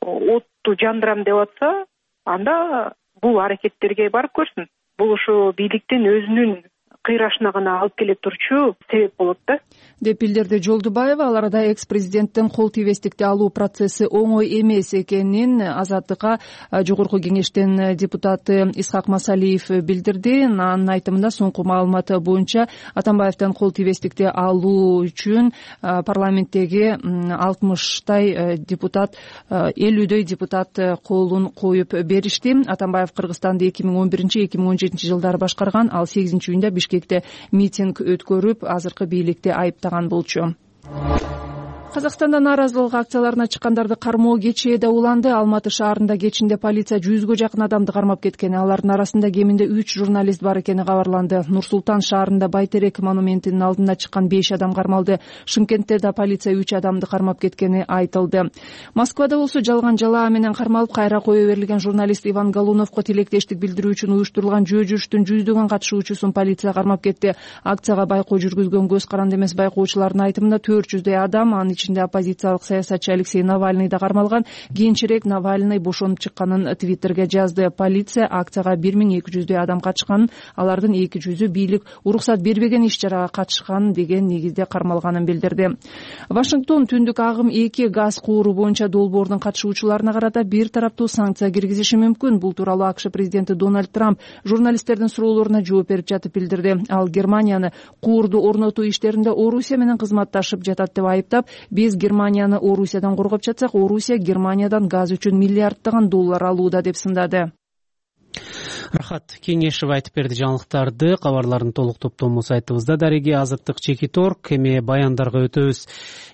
отту жандырам деп атса, анда бул аракеттерге барып көрсүн. Бул ошо бийликтин өзүнүн кыйрашына гана алып келе турчу себеп болот да деп билдирди Жолдубаева. Ал арада экс-президенттин кол тийбестикти алуу процесси оңой эмес экенин Азаттыкка жогорку кеңештин депутаты Исхак Масалиев билдирди. Анын айтымында соңку маалымат боюнча Атамбаевден кол тийбестикти алуу үчүн парламенттеги алтымыштай депутат, элүүдөй депутат колун коюп беришти. Атамбаев Кыргызстанды эки миң он биринчи эки миң он жетинчи жылдары башкарган. Ал сегизинчи июнда Бишкекте митинг өткөрүп, азыркы бийликти айыптаган болчу. Казакстанда нааразылык акцияларына чыккандарды кармоо кечээ да уланды. Алматы шаарында кечинде полиция жүзгө жакын адамды кармап кеткен. Алардын арасында кеминде үч журналист бар экени кабарланды. Нур-Султан шаарында Байтерек монументинин алдына чыккан беш адам кармалды. Шымкентте да полиция үч адамды кармап кеткени айтылды. Москвада болсо жалган жалаа менен кармалып кайра кое берилген журналист Иван Галуновго тилектештик билдирүү үчүн уюштурулган жөө жүрүштүн жүздөгөн катышуучусун полиция кармап кетти. Акцияга байкоо жүргүзгөн көз каранды эмес байкоочулардын айтымында төрт жүздөй адам, анын ичинде оппозициялык саясатчы Алексей Навальный да кармалган. Кийинчерээк Навальный бошонуп чыкканын Твиттерге жазды. Полиция акцияга бир миң эки жүздөй адам катышканын, алардын эки жүзү бийлик уруксат бербеген иш-чарага катышкан деген негизде кармалганын билдирди. Вашингтон түндүк агым эки газ кууру боюнча долбоордун катышуучуларына карата бир тараптуу санкция киргизиши мүмкүн. Бул тууралуу АКШ президенти Дональд Трамп журналисттердин суроолоруна жооп берип жатып билдирди. Ал Германияны куурду орнотуу иштеринде Орусия менен кызматташып жатат деп айыптап, биз Германияны Орусиядан коргоп жатсак, Орусия Германиядан газ үчүн миллиарддаган доллар алууда деп сындады. Рахат Кеңешев айтып берди жаңылыктарды. Кабарлардын толук топтому сайтыбызда. Дареги азаттык чекиторг эми баяндарга өтөбүз.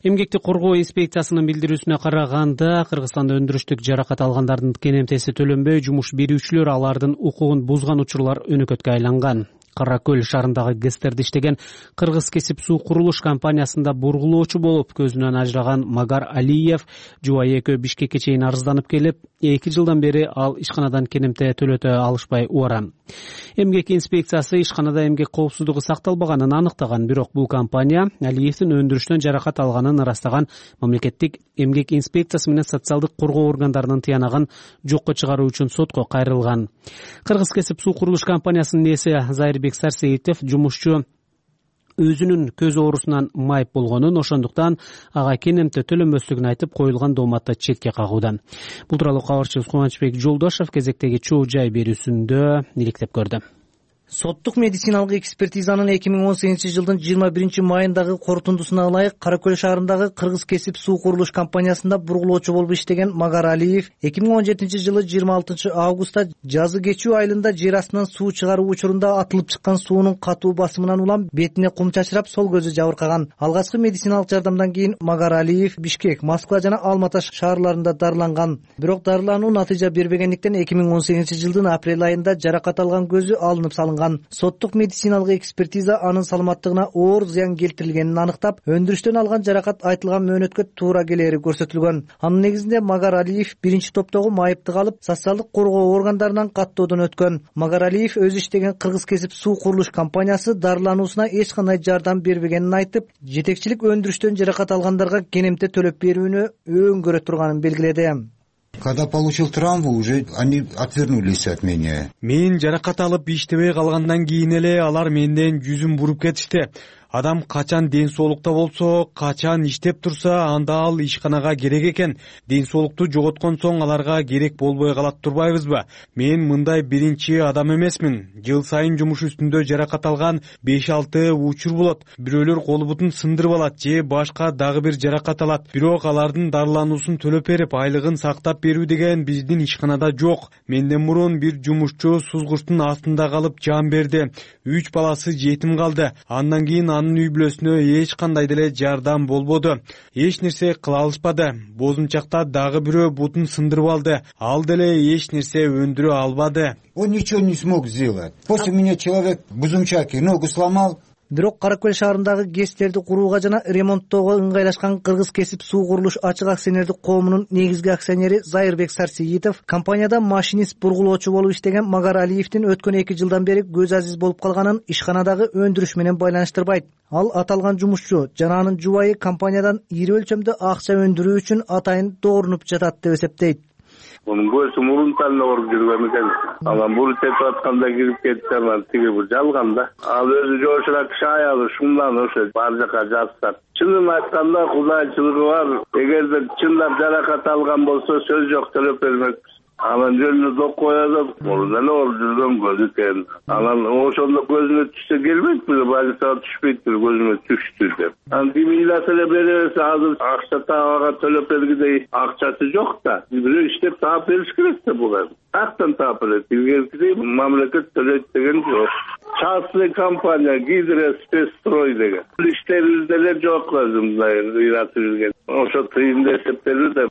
Эмгекти коргоо инспекциясынын билдирүүсүнө караганда, Кыргызстанда өндүрүштүк жаракат алгандардын кенемтеси төлөнбөй, жумуш берүүчүлөр алардын укугун бузган учурлар өнөкөткө айланган. Кара Көл шаарындагы ГЭСтерде иштеген Кыргыз кесип суу курулуш компаниясында бургулоочу болуп көзүнөн ажыраган Магар Алиев жубайы экөө Бишкекке чейин арызданып келип, эки жылдан бери ал ишканадан кенемте төлөтө алышпай убара. Эмгек инспекциясы ишканада эмгек коопсуздугу сакталбаганын аныктаган, бирок бул компания Алиевдин өндүрүштөн жаракат алганын ырастаган мамлекеттик эмгек инспекциясы менен социалдык коргоо органдарынын тыянагын жокко чыгаруу үчүн сотко кайрылган. Кыргыз кесип суу курулуш компаниясынын ээси Зайырбек Сарсеитов жумушчу өзүнүн көз оорусунан майып болгонун, ошондуктан ага кенемте төлөнбөслүгүн айтып, коюлган дооматты четке кагууда. Бул тууралуу кабарчыбыз Кубанычбек Жолдошев кезектеги чоо жай берүүсүндө иликтеп көрдү. Соттук медициналык экспертизанын эки миң он сегизинчи жылдын жыйырма биринчи майындагы корутундусуна ылайык Кара Көл шаарындагы Кыргыз кесип суу курулуш компаниясында бургулоочу болуп иштеген Магар Алиев эки миң он жетинчи жылы жыйырма алтынчы августта жазы кечүү айылында жер астынан суу чыгаруу учурунда атылып чыккан суунун катуу басымынан улам бетине кум чачырап, сол көзү жабыркаган. Алгачкы медициналык жардамдан кийин Магар Алиев Бишкек, Москва жана Алматы шаарларында дарыланган. Бирок дарылануу натыйжа бербегендиктен эки миң он сегизинчи жылдын апрель айында жаракат алган көзү алынып салынган. Соттук медициналык экспертиза анын саламаттыгына оор зыян келтирилгенин аныктап, өндүрүштөн алган жаракат айтылган мөөнөткө туура келери көрсөтүлгөн. Анын негизинде Магар Алиев биринчи топтогу майыптык алып, социалдык коргоо органдарынан каттоодон өткөн. Магар Алиев өзү иштеген Кыргыз кесип суу курулуш компаниясы дарылануусуна эч кандай жардам бербегенин айтып, жетекчилик өндүрүштөн жаракат алгандарга кенемте төлөп берүүнү өңгөрө турганын белгиледи. Когда получил травму, уже они отвернулись от меня. Мен жаракат алып иштебей калгандан кийин эле алар менден жүзүн буруп кетишти. Адам качан ден соолукта болсо, качан иштеп турса, анда ал ишканага керек экен. Ден соолукту жоготкон соң аларга керек болбой калат турбайбызбы? Мен мындай биринчи адам эмесмин. Жыл сайын жумуш үстүндө жаракат алган беш алты учур болот. Бирөөлөр колу бутун сындырып алат же башка дагы бир жаракат алат. Бирок алардын дарылануусун төлөп берип, айлыгын сактап берүү деген биздин ишканада жок. Менден мурун бир жумушчу сузгучтун астында калып жан берди. Үч баласы жетим калды. Андан кийин анын үй бүлөсүнө эч кандай деле жардам болбоду. Эч нерсе кыла алышпады. Бозумчакта дагы бирөө бутун сындырып алды. Ал деле эч нерсе өндүрө албады. Он ничего не смог сделать. После меня человек в Бузумчаке ногу сломал. Бирок Кара Көл шаарындагы ГЭСтерди курууга жана ремонттоого ыңгайлашкан Кыргыз кесип суу курулуш ачык акционердик коомунун негизги акционери Зайырбек Сарсеитов компанияда машинист бургулоочу болуп иштеген Магар Алиевдин өткөн эки жылдан бери көз азиз болуп калганын ишканадагы өндүрүш менен байланыштырбайт. Ал аталган жумушчу жана анын жубайы компаниядан ири өлчөмдө акча өндүрүү үчүн атайын доорунуп жатат деп эсептейт. Onun göğsü murun tanına orup yürüyen ekan. Ama muru tepki atkanda girip ketip kalmadı. Tigi bu jalganda. Al özü joşurak şayalı şundan o'sha barjaka жазсак. Чынын айтканда кудайчылыгы бар. Эгерде чындап жаракат алган болсо сөз жок төлөп бермекпиз. Анан жөнүнө док коёбуз. Мурун эле ооруп жүргөн көз экен. Анан ошондо көзүнө түшсө келбейт беле, больницага түшпөйт беле, көзүнө түштү деп. Анан демилат эле беребиз, азыр акча табага төлөп бергидей акчасы жок да. Бирөө иштеп таап бериш керек да буга. Актан таап берет. Илгеркидей мамлекет төлөйт деген жок. Частный компания Гидро Спецстрой деген. Иштерибизде эле жок өзүм мындай ыйратып жүрген. ошо тыйынды эсептелди да.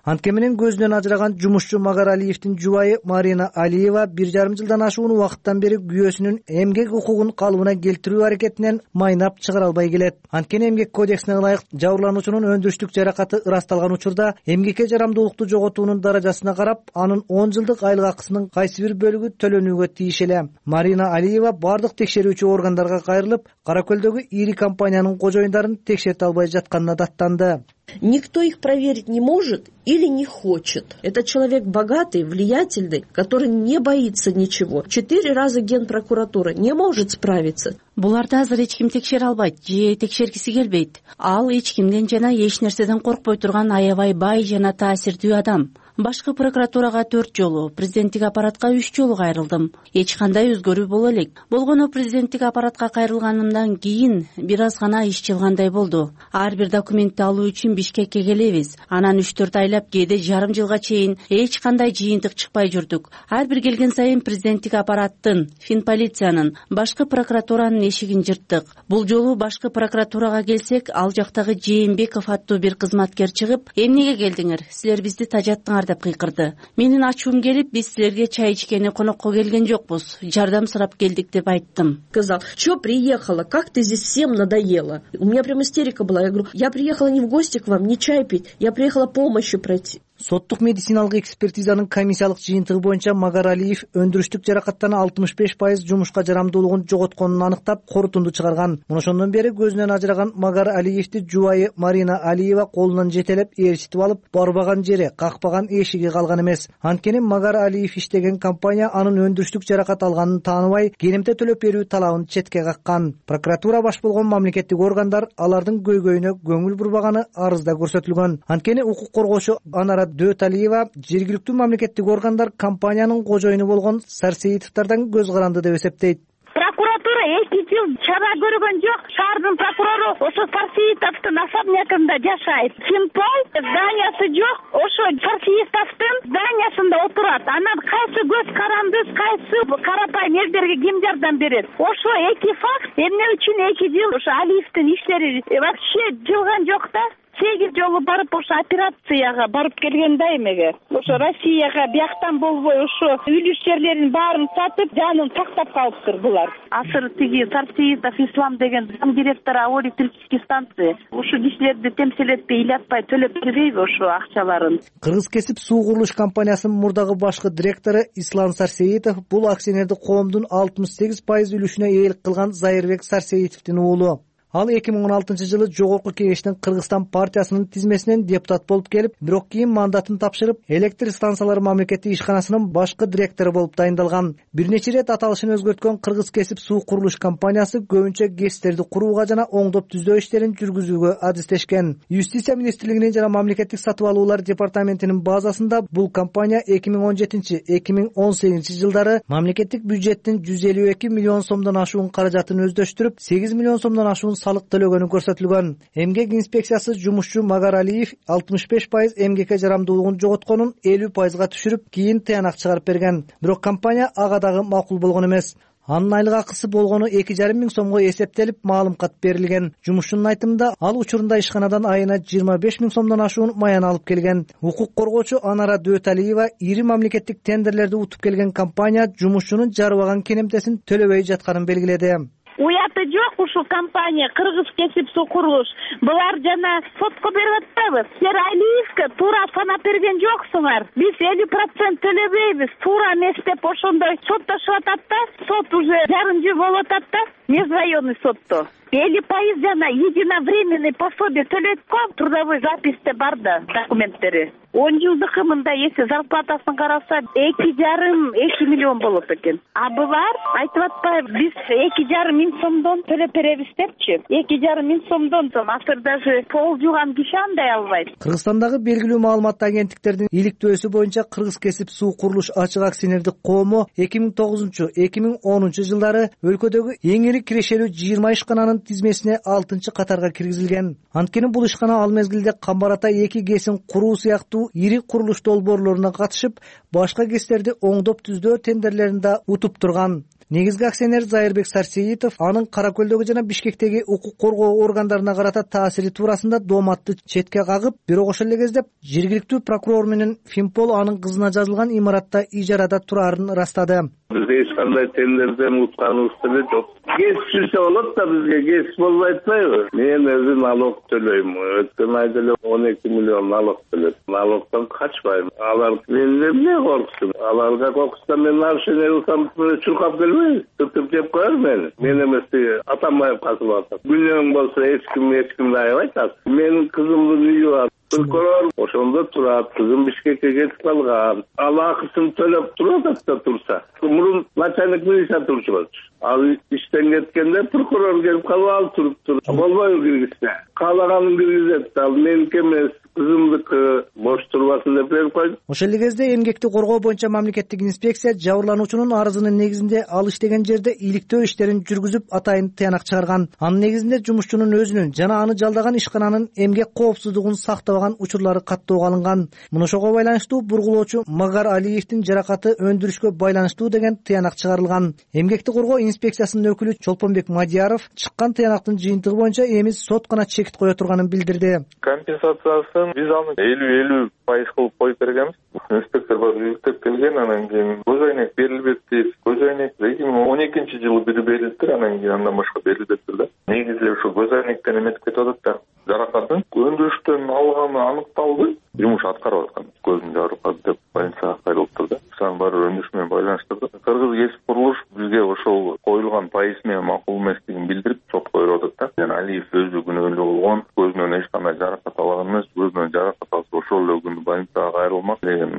Антке менен көзүнөн ажыраган жумушчу Магаралиевдин жубайы Марина Алиева бир жарым жылдан ашуун убакыттан бери күйөөсүнүн эмгек укугун калыбына келтирүү аракетинен майнап чыгара албай келет. Анткени эмгек кодексине ылайык жабырлануучунун өндүрүштүк жаракаты ырасталган учурда эмгекке жарамдуулукту жоготуунун даражасына карап анын он жылдык айлык акысынын кайсы бир бөлүгү төлөнүүгө тийиш эле. Марина Алиева бардык текшерүүчү органдарга кайрылып, Кара Көлдөгү ири компаниянын кожоюндарын текшерте албай жатканына даттанды. Никто их проверить не может или не хочет. Это человек богатый, влиятельный, который не боится ничего. Четыре раза Генпрокуратура не может справиться. Буларды азыр эч ким текшере албайт же текшергиси келбейт. Ал эч кимден жана эч нерседен коркпой турган аябай бай жана таасирдүү адам. Башкы прокуратурага төрт жолу, президенттик аппаратка үч жолу кайрылдым. Эч кандай өзгөрүү боло элек. Болгону президенттик аппаратка кайрылганымдан кийин бир аз гана иш жылгандай болду. Ар бир документти алуу үчүн Бишкекке келебиз. Анан үч төрт айлап, кээде жарым жылга чейин эч кандай жыйынтык чыкпай жүрдүк. Ар бир келген сайын президенттик аппараттын, Финполициянын, башкы прокуратуранын эшигин жырттык. Бул жолу башкы прокуратурага келсек, ал жактагы Жээнбеков аттуу бир кызматкер чыгып, эмнеге келдиңер? Силер бизди тажаттыңар деп кыйкырды. Менин ачуум келип, биз силерге чай ичкени конокко келген жокпуз. Жардам сурап келдик деп айттым. Сказал: "Чё приехала? Как ты здесь всем надоела?" У меня прям истерика была. Я говорю: "Я приехала не в гости к вам, не чай пить. Я приехала помощью пройти". Соттук медициналык экспертизанын комиссиялык жыйынтыгы боюнча Магаралиев өндүрүштүк жаракаттан алтымыш беш пайыз жумушка жарамдуулугун жоготконун аныктап, корутунду чыгарган. Мына ошондон бери көзүнөн ажыраган Магаралиевди жубайы Марина Алиева колунан жетелеп ээрчитип алып, барбаган жери, какпаган эшиги калган эмес. Анткени Магаралиев иштеген компания анын өндүрүштүк жаракат алганын тааныбай, керемте төлөп берүү талабын четке каккан. Прокуратура баш болгон мамлекеттик органдар алардын көйгөйүнө көңүл бурбаганы арызда көрсөтүлгөн. Анткени укук коргоочу Анара Дөталиева жергиликтүү мамлекеттик органдар компаниянын кожоюну болгон Сарсеитовдордон көз каранды деп эсептейт. Прокуратура эки жыл чара көргөн жок. Шаардын прокурору ошо Сарсеитовдун особнягында жашайт. Финпол зданиясы жок. Ошо Сарсеитовдун зданиясында отурат. Анан кайсы көз каранды, кайсы карапайым элдерге ким жардам берет? Ошо эки факт эмне үчүн эки жыл ошо Алиевдин иштери вообще жылган жок да. Сегиз жолу барып ошо операцияга барып келген да эмеге. Ошо Россияга бияктан болбой ошо үлүш жерлерин баарын сатып, жанын тактап калыптыр булар. Азыр тиги Сарсеитов Ислам деген зам директору Авоо электрический станции. Ошо кишилерди темселетпей, ыйлатпай төлөп бербейби ошо акчаларын? Кыргыз кесип суу курулуш компаниясынын мурдагы башкы директору Ислам Сарсеитов бул акционерди коомдун алтымыш сегиз пайыз үлүшүнө ээлик кылган Зайырбек Сарсеитовдун уулу. Ал эки миң он алтынчы жылы Жогорку Кеңештин Кыргызстан партиясынын тизмесинен депутат болуп келип, бирок кийин мандатын тапшырып, электр станциялары мамлекеттик ишканасынын башкы директору болуп дайындалган. Бир нече ирет аталышын өзгөрткөн Кыргыз кесип суу курулуш компаниясы көбүнчө гэстерди курууга жана оңдоп түзөө иштерин жүргүзүүгө адистешкен. Юстиция министрлигинин жана мамлекеттик сатып алуулар департаментинин базасында бул компания эки миң он жетинчи — эки миң он сегизинчи жылдары мамлекеттик бюджеттин жүз элүү эки миллион сомдон ашуун каражатын өздөштүрүп, сегиз миллион сомдон ашуун салык төлөгөнү көрсөтүлгөн. Эмгек инспекциясы жумушчу Магаралиев алтымыш беш пайыз эмгекке жарамдуулугун жоготконун элүү пайызга түшүрүп, кийин тыянак чыгарып берген. Бирок компания ага дагы макул болгон эмес. Анын айлык акысы болгону эки жарым миң сомго эсептелип, маалым кат берилген. Жумушчунун айтымында, ал учурунда ишканадан айына жыйырма беш миң сомдон ашуун маян алып келген. Укук коргоочу Анара Дөталиева ири мамлекеттик тендерлерди утуп келген компания жумушчунун жарыбаган кенемтесин төлөбөй жатканын белгиледи. Уяты жок ушул компания Кыргыз кесип суу курулуш. Булар жана сотко берип атпайбы? Силер Алиевке туура санап берген жоксуңар. Биз элүү процент төлөбөйбүз, туура эмес деп ошондой соттошуп атат да. Сот уже жарым жыл болуп атат да. Межрайонный сотто. элүү пайыз жана единовременный пособие төлөйт го. Трудовой записьте бар да документтери. он жылдыкы мындай эсе зарплатасын караса эки жарым эки миллион болот экен. А булар айтып атпайбы? Биз эки жарым миң сомдон төлөп беребиз депчи. эки жарым миң сомдон азыр даже пол жууган киши андай албайт. Кыргызстандагы белгилүү маалыматтуу агенттиктердин иликтөөсү боюнча Кыргыз кесип суу курулуш ачык акционердик коому эки миң тогузунчу — эки миң онунчу жылдары өлкөдөгү эң ири бери кирешелүү жыйырма ишкананын тизмесине алтынчы катарга киргизилген. Анткени бул ишкана ал мезгилде Камбар Ата эки КЭСин куруу сыяктуу ири курулуш долбоорлоруна катышып, башка КЭСтерди оңдоп түздөө тендерлерин да утуп турган. Негизги акционер Зайырбек Сарсеитов анын Кара Көлдөгү жана Бишкектеги укук коргоо органдарына карата таасири туурасында дооматты четке кагып, бирок ошол эле кезде жергиликтүү прокурор менен Финпол анын кызына жазылган имаратта ижарада турарын ырастады. Бизде эч кандай тендерден утканыбыз деле жок. КЭС түзсө болот да, бизге КЭС болбой атпайбы? Мен өзүм налог төлөйм. Өткөн айда эле он эки миллион налог төлөдүм. Налогдон качпайм. Алар мени эмне корксун? Аларга коркса мен нарушение кылсам чуркап келбейби? Тутуп жеп коер мени. Мен эмес Атамбаев касып атат. Күнөөң болсо эч ким эч кимди аябайт. Менин кызымдын үйү бар. Прокурор ошондо турат, кызым Бишкекке кетип калган. Ал акысын төлөп турат да турса. Мурун начальник милиция турчу болчу. Ал иштен кеткенде прокурор келип калып ал туруптур. Болбойбу киргизсе? Каалаганын киргизет. Ал меники эмес, кызымдыкы бош турбасын деп берип койду. Ошол эле кезде эмгекти коргоо боюнча мамлекеттик инспекция жабырлануучунун арызынын негизинде ал иштеген жерде иликтөө иштерин жүргүзүп атайын тыянак чыгарган. Анын негизинде жумушчунун өзүнүн жана аны жалдаган ишкананын эмгек коопсуздугун сактабаган учурлары каттоого алынган. Мына ошого байланыштуу бургулоочу Магар Алиевдин жаракаты өндүрүшкө байланыштуу деген тыянак чыгарылган. Эмгекти коргоо инспекциясынын өкүлү Чолпонбек Мадияров чыккан тыянактын жыйынтыгы боюнча эми сот гана чекит кое турганын билдирди. Компенсациясын биз аны элүү элүү пайыз кылып коюп бергенбиз. Инспектор бар иликтеп келген, анан кийин көз айнек берилбек дейт. Көз айнек эки миң он экинчи жылы бири берилиптир, анан кийин андан башка берилбептир да. Негизи ушу көз айнектен эметип кетип атат да. Жаракатын өндүрүштөн алганы аныкталды. Жумуш аткарып аткан. Көзүн жарып калды деп больницага кайрылыптыр да. Ошонун баары өндүрүш менен байланыштырды. Кыргыз кесип курулуш бизге ошол коюлган пайыз менен макул эместигин билдирип сотко берип атат да. Жана Алиев өзү күнөөлүү болгон, көзүнөн эч кандай жаракат алган эмес, көзүнөн жаракат алса ошол эле күнү больницага кайрылмак деген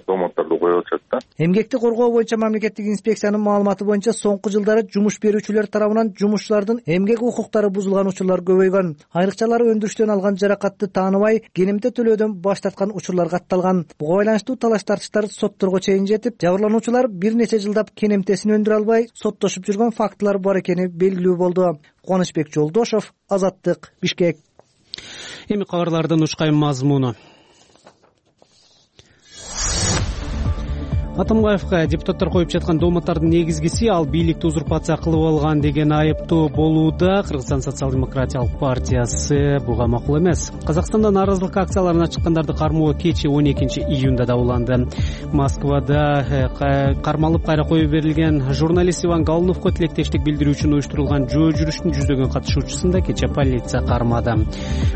домотторду коюп атышат да. Эмгекти коргоо боюнча мамлекеттик инспекциянын маалыматы боюнча соңку жылдары жумуш берүүчүлөр тарабынан жумушчулардын эмгек укуктары бузулган учурлар көбөйгөн. Айрыкчалары өндүрүштөн алган жаракатты тааныбай, кенемте төлөөдөн баш тарткан учурлар катталган. Буга байланыштуу талаш тартыштар сотторго чейин жетип, жабырлануучулар бир нече жылдап кенемтесин өндүрө албай соттошуп жүргөн фактылар бар экени белгилүү болду. Кубанычбек Жолдошов, Азаттык, Бишкек. Эми кабарлардын ушкайым мазмуну. Атамбаевга депутаттар коюп жаткан дооматтардын негизгиси ал бийликти узурпация кылып алган деген айыптоо болууда. Кыргызстан социал-демократиялык партиясы буга макул эмес. Казакстанда нааразылык акцияларына чыккандарды кармоо кечээ он экинчи июнда да уланды. Москвада кармалып кайра коюп берилген журналист Иван Галуновго тилектештик билдирүү үчүн уюштурулган жөө жүрүштүн жүздөгөн катышуучусун да кечээ полиция кармады.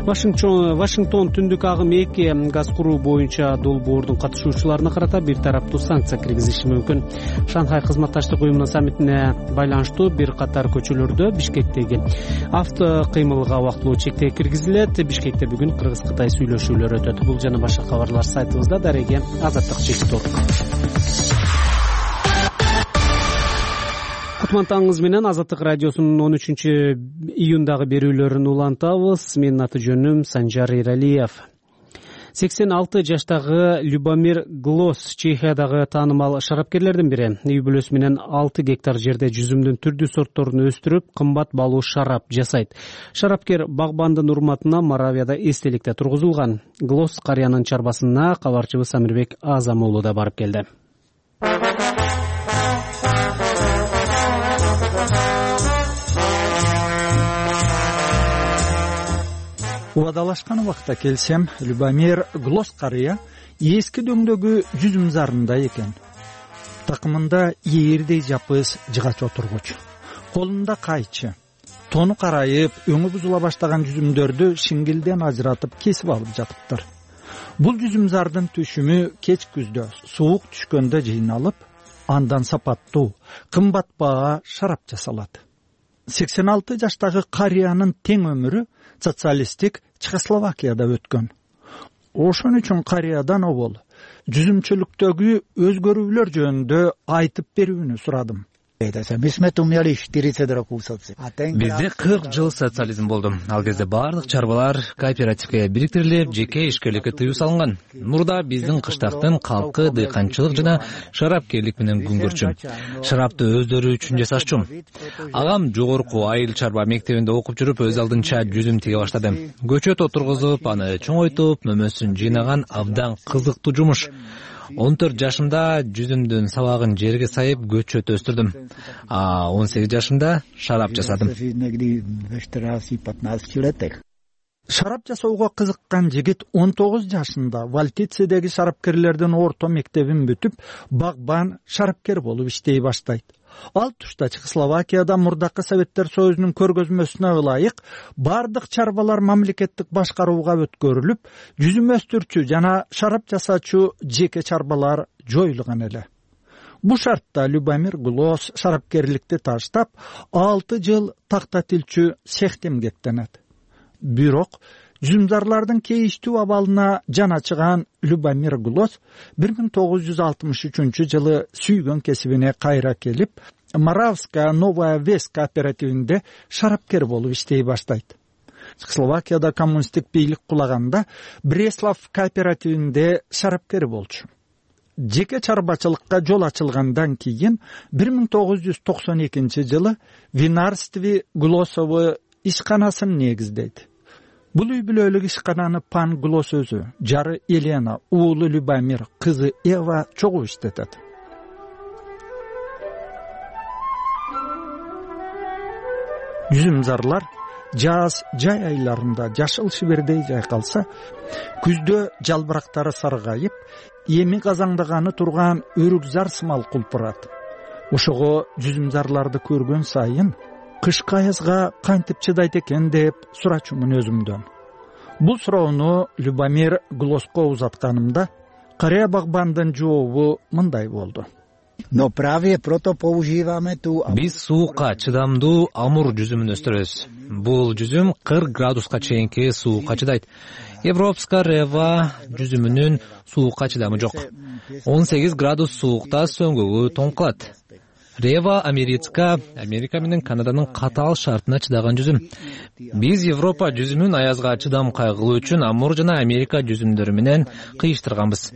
Вашингтон түндүк агым эки газ куруу боюнча долбоордун катышуучуларына карата бир тараптуу санкция киргизиши мүмкүн. Шанхай кызматташтык уюмунун саммитине байланыштуу бир катар көчөлөрдө Бишкектеги авто кыймылга убактылуу чектөө киргизилет. Бишкекте бүгүн Кыргыз-Кытай сүйлөшүүлөрү өтөт. Бул жана башка кабарлар сайтыбызда. Дареге Азаттык чектор. Кутмантаңыз менен Азаттык радиосунун он үчүнчү июндагы берүүлөрүн улантабыз. Менин аты жөнүм Санжар Иралиев. сексен алты жаштагы Любомир Глос Чехиядагы таанымал шарапкерлердин бири. Үй бүлөсү менен алты гектар жерде жүзүмдүн түрдүү сортторун өстүрүп, кымбат баалуу шарап жасайт. Шарапкер багбандын урматына Моравияда эстеликте тургузулган. Глос карыянын чарбасына кабарчыбыз Амирбек Азам уулу да барып келди. Убадалашкан убакта келсем, Любомир Глос карыя эски дөңдөгү жүзүм зарында экен. Такымында ээрдей жапыз жыгач отургуч, колунда кайчы. Тону карайып, өңү бузула баштаган жүзүмдөрдү шиңгилден ажыратып кесип алып жатыптыр. Бул жүзүм зардын түшүмү кеч күздө суук түшкөндө жыйналып, андан сапаттуу, кымбат баа шарап жасалат. сексен алты жаштагы карыянын тең өмүрү социалисттик Чехословакияда өткөн. Ошон үчүн карыядан обол жүзүмчүлүктөгү өзгөрүүлөр жөнүндө айтып берүүнү сурадым. Бизде кырк жыл социализм болду. Ал кезде бардык чарбалар кооперативге бириктирилип, жеке ишкерликке тыюу салынган. Мурда биздин кыштактын калкы дыйканчылык жана шарапкерлик менен күн көрчү. Шарапты өздөрү үчүн жасашчу. Агам жогорку айыл чарба мектебинде окуп жүрүп, өз алдынча жүзүм тиге баштады. Көчөт отургузуп, аны чоңойтуп, мөмөсүн жыйнаган абдан кызыктуу жумуш. он төрт жашымда жүзүмдүн сабагын жерге сайып көчөт өстүрдүм. А он сегиз жашымда шарап жасадым. Шарап жасоого кызыккан жигит он тогуз жашында Валтицедеги шарапкерлердин орто мектебин бүтүп, багбан шарапкер болуп иштей баштайт. Ал тушта Чехословакияда мурдакы Советтер Союзунун көргөзмөсүнө ылайык бардык чарбалар мамлекеттик башкарууга өткөрүлүп, жүзүм өстүрчү жана шарап жасачу жеке чарбалар жоюлган эле. Бу шартта Любомир Глос шарапкерликти таштап, алты жыл тактатилчү цехте эмгектенет. Бирок жүзүмдарлардын кейиштүү абалына жаначыган Любомир Глос бир миң тогуз жүз алтымыш үчүнчү жылы сүйгөн кесибине кайра келип, Моравская Новая Вес кооперативинде шарапкер болуп иштей баштайт. Чехословакияда коммунисттик бийлик кулаганда Бреслав кооперативинде шарапкер болчу. Жеке чарбачылыкка жол ачылгандан кийин бир миң тогуз жүз токсон экинчи жылы Винарстве Глосовы ишканасын негиздейт. Бул үй бүлөлүк ишкананы Пан Глос өзү, жары Елена, уулу Любомир, кызы Эва чогуу иштетет. Жүзүмзарлар жаз жай айларында жашыл шибердей жайкалса, күздө жалбырактары саргайып, эми казаңдаганы турган өрүкзар сымал кулпурат. Ошого жүзүмзарларды көргөн сайын кышкы аязга кантип чыдайт экен деп сурачумун өзүмдөн. Бул суроону Любомир Глоско узатканымда карыя багбандын жообу мындай болду. Биз суукка чыдамдуу амур жүзүмүн өстүрөбүз. Бул жүзүм кырк градуска чейинки суукка чыдайт. Европска Рева жүзүмүнүн суукка чыдамы жок. он сегиз градус суукта сөңгөгү тоң кылат. Рева Америка, Америка менен Канаданын катаал шартына чыдаган жүзүм. Биз Европа жүзүмүн аязга чыдам кайгылуу үчүн амур жана Америка жүзүмдөрү менен кыйыштырганбыз.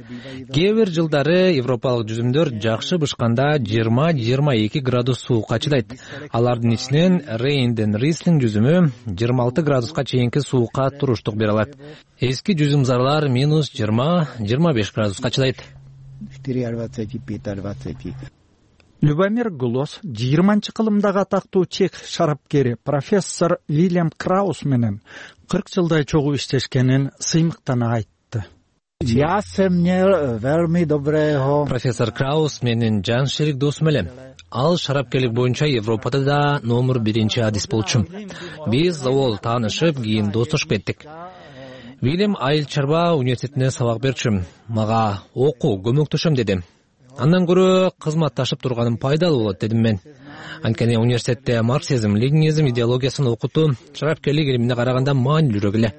Кээ бир жылдары европалык жүзүмдөр жакшы бышканда жыйырма жыйырма эки градус суукка чыдайт. Алардын ичинен Рейнден Рислинг жүзүмү жыйырма алты градуска чейинки суукка туруштук бере алат. Эски жүзүмзарлар минус жыйырма жыйырма беш градуска чыдайт. Любомир Глос жыйырманчы кылымдагы атактуу чех шарапкери профессор Вильям Краус менен кырк жылдай чогуу иштешкенин сыймыктана айтты. Профессор Краус менин жан шерик досум эле. Ал шарапкерлик боюнча Европада да номер биринчи адис болчу. Биз завол таанышып, кийин достошуп кеттик. Вильям айыл чарба университетинде сабак берчү. Мага окуу көмөктөшөм деди. Андан көрө кызматташып турганым пайдалуу болот дедим мен. Анткени университетте марксизм, ленинизм идеологиясын окутуу шарапкерлик илимине караганда маанилүүрөөк эле.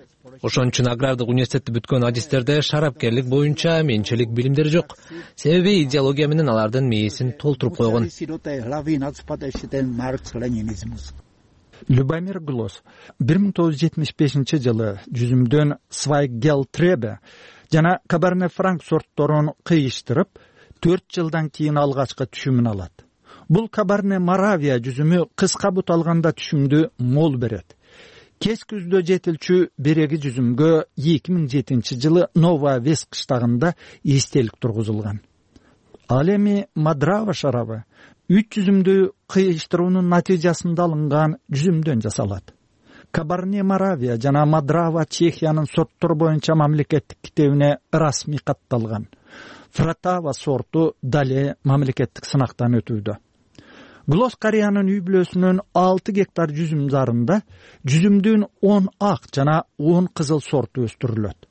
Ошон үчүн агрардык университетти бүткөн адистерде шарапкерлик боюнча менчилик билимдери жок. Себеби идеология менен алардын мээсин толтуруп койгон. Любомир Глос бир миң тогуз жүз жетимиш бешинчи жылы жүзүмдөн Свайгелтребе жана Кабарне Франк сортторун кыйыштырып, төрт жылдан кийин алгачкы түшүмүн алат. Бул Кабарне Моравия жүзүмү кыска бут алганда түшүмдү мол берет. Кеч күздө жетилчү береги жүзүмгө эки миң жетинчи жылы Новая Вес кыштагында эстелик тургузулган. Ал эми Мадрава шарабы үч жүзүмдү кыйыштыруунун натыйжасында алынган жүзүмдөн жасалат. Кабарне Моравия жана Мадрава Чехиянын сорттор боюнча мамлекеттик китебине расмий катталган. Фратава сорту дале мамлекеттик сынактан өтүүдө. Глос карыянын үй бүлөсүнүн алты гектар жүзүм зарында жүзүмдүн он ак жана он кызыл сорту өстүрүлөт.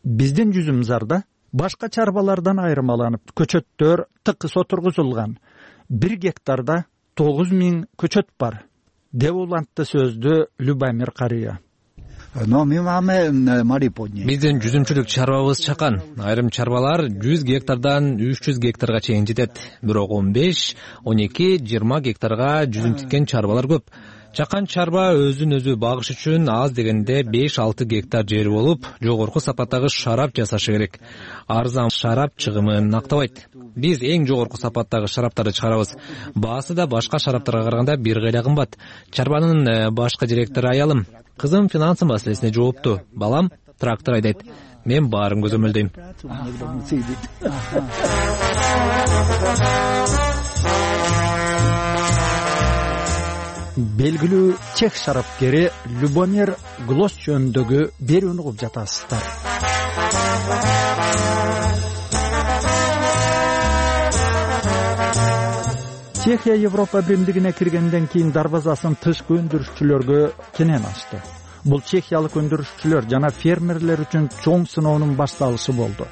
Биздин жүзүм зарда башка чарбалардан айырмаланып көчөттөр тыкыс отургузулган. Бир гектарда тогуз миң көчөт бар, деп улантты сөздү Любомир карыя. Биздин жүзүмчүлүк чарбабыз чакан. Айрым чарбалар жүз гектардан үч жүз гектарга чейин жетет. Бирок он беш, он эки, жыйырма гектарга жүзүм тиккен чарбалар көп. Чакан чарба өзүн өзү багыш үчүн аз дегенде беш алты гектар жери болуп, жогорку сапаттагы шарап жасашы керек. Арзан шарап чыгымын актабайт. Биз эң жогорку сапаттагы шараптарды чыгарабыз. Баасы да башка шараптарга караганда бир кайда кымбат. Чарбанын башкы директору аялым. Кызым финансы маселесине жоопту. Балам трактор айдайт. Мен баарын көзөмөлдөйм. Белгилүү чех шарапкери Любомир Глос жөнүндөгү берүүнү угуп жатасыздар. Чехия Европа биримдигине киргенден кийин дарбазасын тышкы өндүрүшчүлөргө кенен ачты. Бул чехиялык өндүрүшчүлөр жана фермерлер үчүн чоң сыноонун башталышы болду.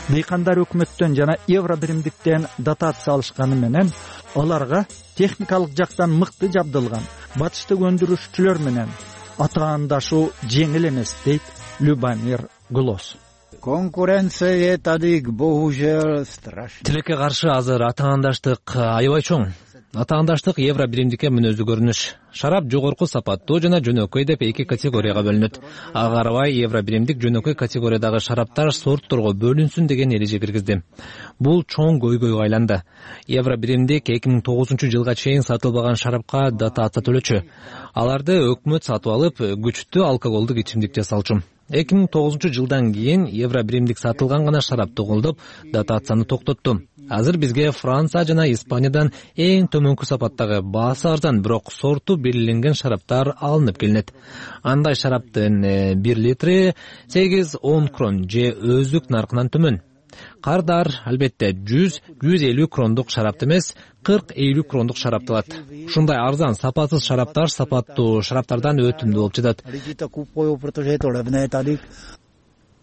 Дыйкандар өкмөттөн жана евро биримдиктен дотация алышканы менен аларга техникалык жактан мыкты жабдылган батыштык өндүрүшчүлөр менен атаандашуу жеңил эмес, дейт Любомир Глос. Конкуренция тадык боужел страшно. Тилекке каршы азыр атаандаштык аябай чоң. Атаандаштык евро биримдикке мүнөздүү көрүнүш. Шарап жогорку сапаттуу жана жөнөкөй деп эки категорияга бөлүнөт. Ага карабай евро биримдик жөнөкөй категориядагы шараптар сортторго бөлүнсүн деген эреже киргизди. Бул чоң көйгөйгө айланды. Евро биримдик эки миң тогузунчу жылга чейин сатылбаган шарапка дотация төлөчү. Аларды өкмөт сатып алып, күчтүү алкоголдук ичимдик жасалчу. эки миң тогузунчу жылдан кийин евро биримдик сатылган гана шарапты колдоп, дотацияны токтотту. Азыр бизге Франция жана Испаниядан эң төмөнкү сапаттагы баасы арзан, бирок сорту белгиленген шараптар алынып келинет. Андай шараптын бир литри сегиз он крон же өздүк наркынан төмөн. Кардар албетте жүз жүз элүү крондук шарапты эмес, кырк элүү крондук шарапты алат. Ушундай арзан, сапатсыз шараптар сапаттуу шараптардан өтүмдүү болуп жатат.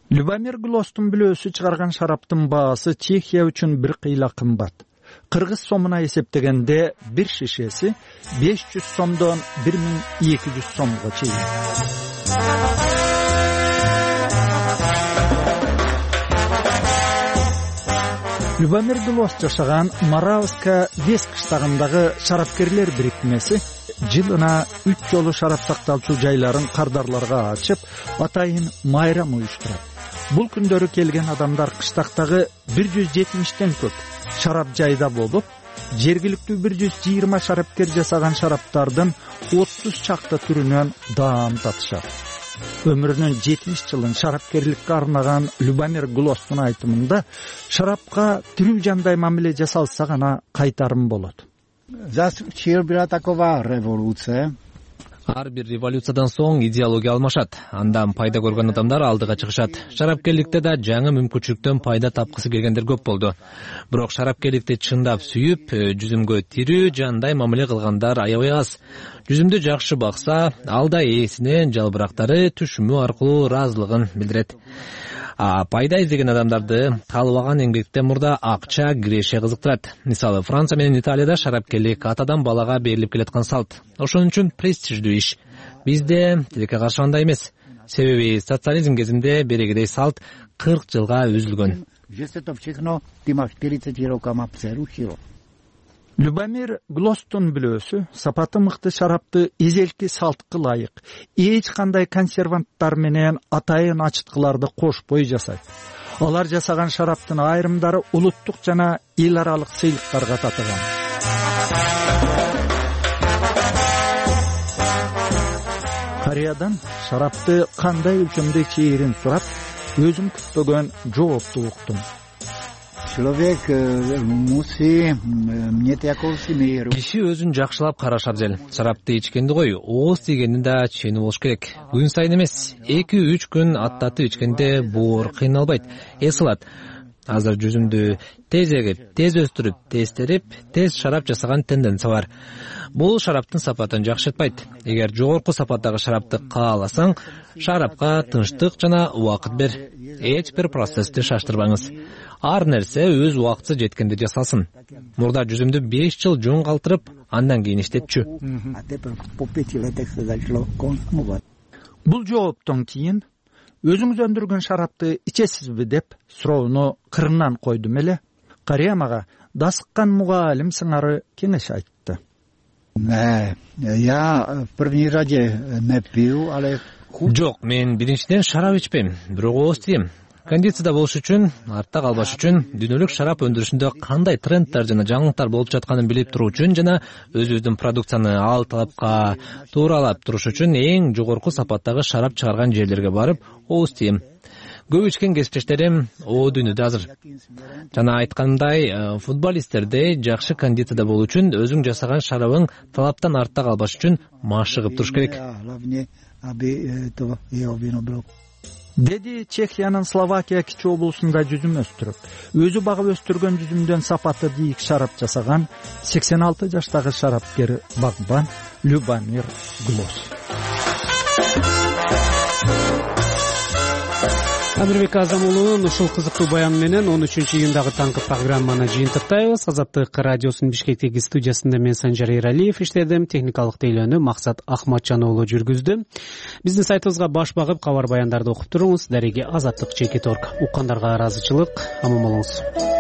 Любомир Глостун бүлөөсү чыгарган шараптын баасы Чехия үчүн бир кыйла кымбат. Кыргыз сомуна эсептегенде бир шишеси беш жүз сомдон бир миң эки жүз сомго чейин. Любомир Глос жашаган Моравска Вес кыштагындагы шарапкерлер бириктимеси жылына үч жолу шарап сакталчу жайларын кардарларга ачып, атайын майрам уюштурат. Бул күндөрү келген адамдар кыштактагы бир жүз жетимиштен көп шарап жайда болуп, жергиликтүү бир жүз жыйырма шарапкер жасаган шараптардын отуз чакты түрүнөн даам татышат. Өмүрүнүн жетимиш жылын шарапкерликке арнаган Любомир Глостун айтымында шарапка тирүү жандай мамиле жасалса гана кайтарым болот. Ар бир революциядан соң идеология алмашат. Андан пайда көргөн адамдар алдыга чыгышат. Шарапкерликте да жаңы мүмкүнчүлүктөн пайда тапкысы келгендер көп болду. Бирок шарапкерликти чындап сүйүп, жүзүмгө тирүү жандай мамиле кылгандар аябай аз. Жүзүмдү жакшы бакса, ал да ээсине жалбырактары түшүмү аркылуу ыраазылыгын билдирет. А пайда издеген адамдарды каалабаган эмгектен мурда акча, киреше кызыктырат. Мисалы, Франция менен Италияда шарапкерлик атадан балага берилип келаткан салт. Ошон үчүн престиждүү иш. Бизде тилекке каршы андай эмес. Себеби социализм кезинде берегедей салт кырк жылга үзүлгөн. Любомир Глостун бүлөөсү сапаты мыкты шарапты эзелки салтка ылайык, эч кандай консерванттар менен атайын ачыткыларды кошпой жасайт. Алар жасаган шараптын айрымдары улуттук жана эл аралык сыйлыктарга татыган. Кореядан шарапты кандай өлчөмдө чейирин сурап, өзүм күтпөгөн жоопту уктум. Киши өзүн жакшылап караш абзел. Шарапты ичкенди кой, ооз тийгенин да чени болуш керек. Күн сайын эмес, эки үч күн аттатып ичкенде боор кыйналбайт, эс алат. Азыр жүзүмдү тез эгип, тез өстүрүп, тез терип, тез шарап жасаган тенденция бар. Бул шараптын сапатын жакшыртпайт. Эгер жогорку сапаттагы шарапты кааласаң, шарапка тынчтык жана убакыт бер. Эч бир процессти шаштырбаңыз. Ар нерсе өз убакыты жеткенде жасалсын. Мурда жүзүмдү беш жыл жөн калтырып, андан кийин иштетчү. бул жооптон кийин өзүңүз өндүргөн шарапты ичесизби деп суроону кырынан койдум эле. Карыя мага дасыккан мугалим сыңары кеңеш айтты. Я в první řadě nepiju, ale жок, мен биринчиден шарап ичпейм, бирок ооз тием. Кондицияда болуш үчүн, артта калбаш үчүн, дүйнөлүк шарап өндүрүшүндө кандай тренддер жана жаңылыктар болуп жатканын билип туруу үчүн жана өзүбүздүн продукцияны ал талапка тууралап туруш үчүн эң жогорку сапаттагы шарап чыгарган жерлерге барып ооз тием. Көп ичкен кесиптештерим о дүйнөдө азыр. Жана айткандай, футболисттердей жакшы кондицияда болуу үчүн өзүң жасаган шарабың талаптан артта калбаш үчүн машыгып туруш керек. Деди Чехиянын Словакия кичи облусунда жүзүм өстүрүп, өзү багып өстүргөн жүзүмдөн сапаты бийик шарап жасаган сексен алты жаштагы шарапкер багбан Любомир Глос. Амирбек Азам уулунун ушул кызыктуу баяны менен он үчүнчү июндагы таңкы программаны жыйынтыктайбыз. Азаттык радиосунун Бишкектеги студиясында мен Санжар Эралиев иштедим, техникалык тейлөөнү Максат Ахматжан уулу жүргүздү. Биздин сайтыбызга баш багып кабар баяндарды окуп туруңуз. Дареги Азаттык чекит точка орг. Уккандарга ыраазычылык, аман болуңуз.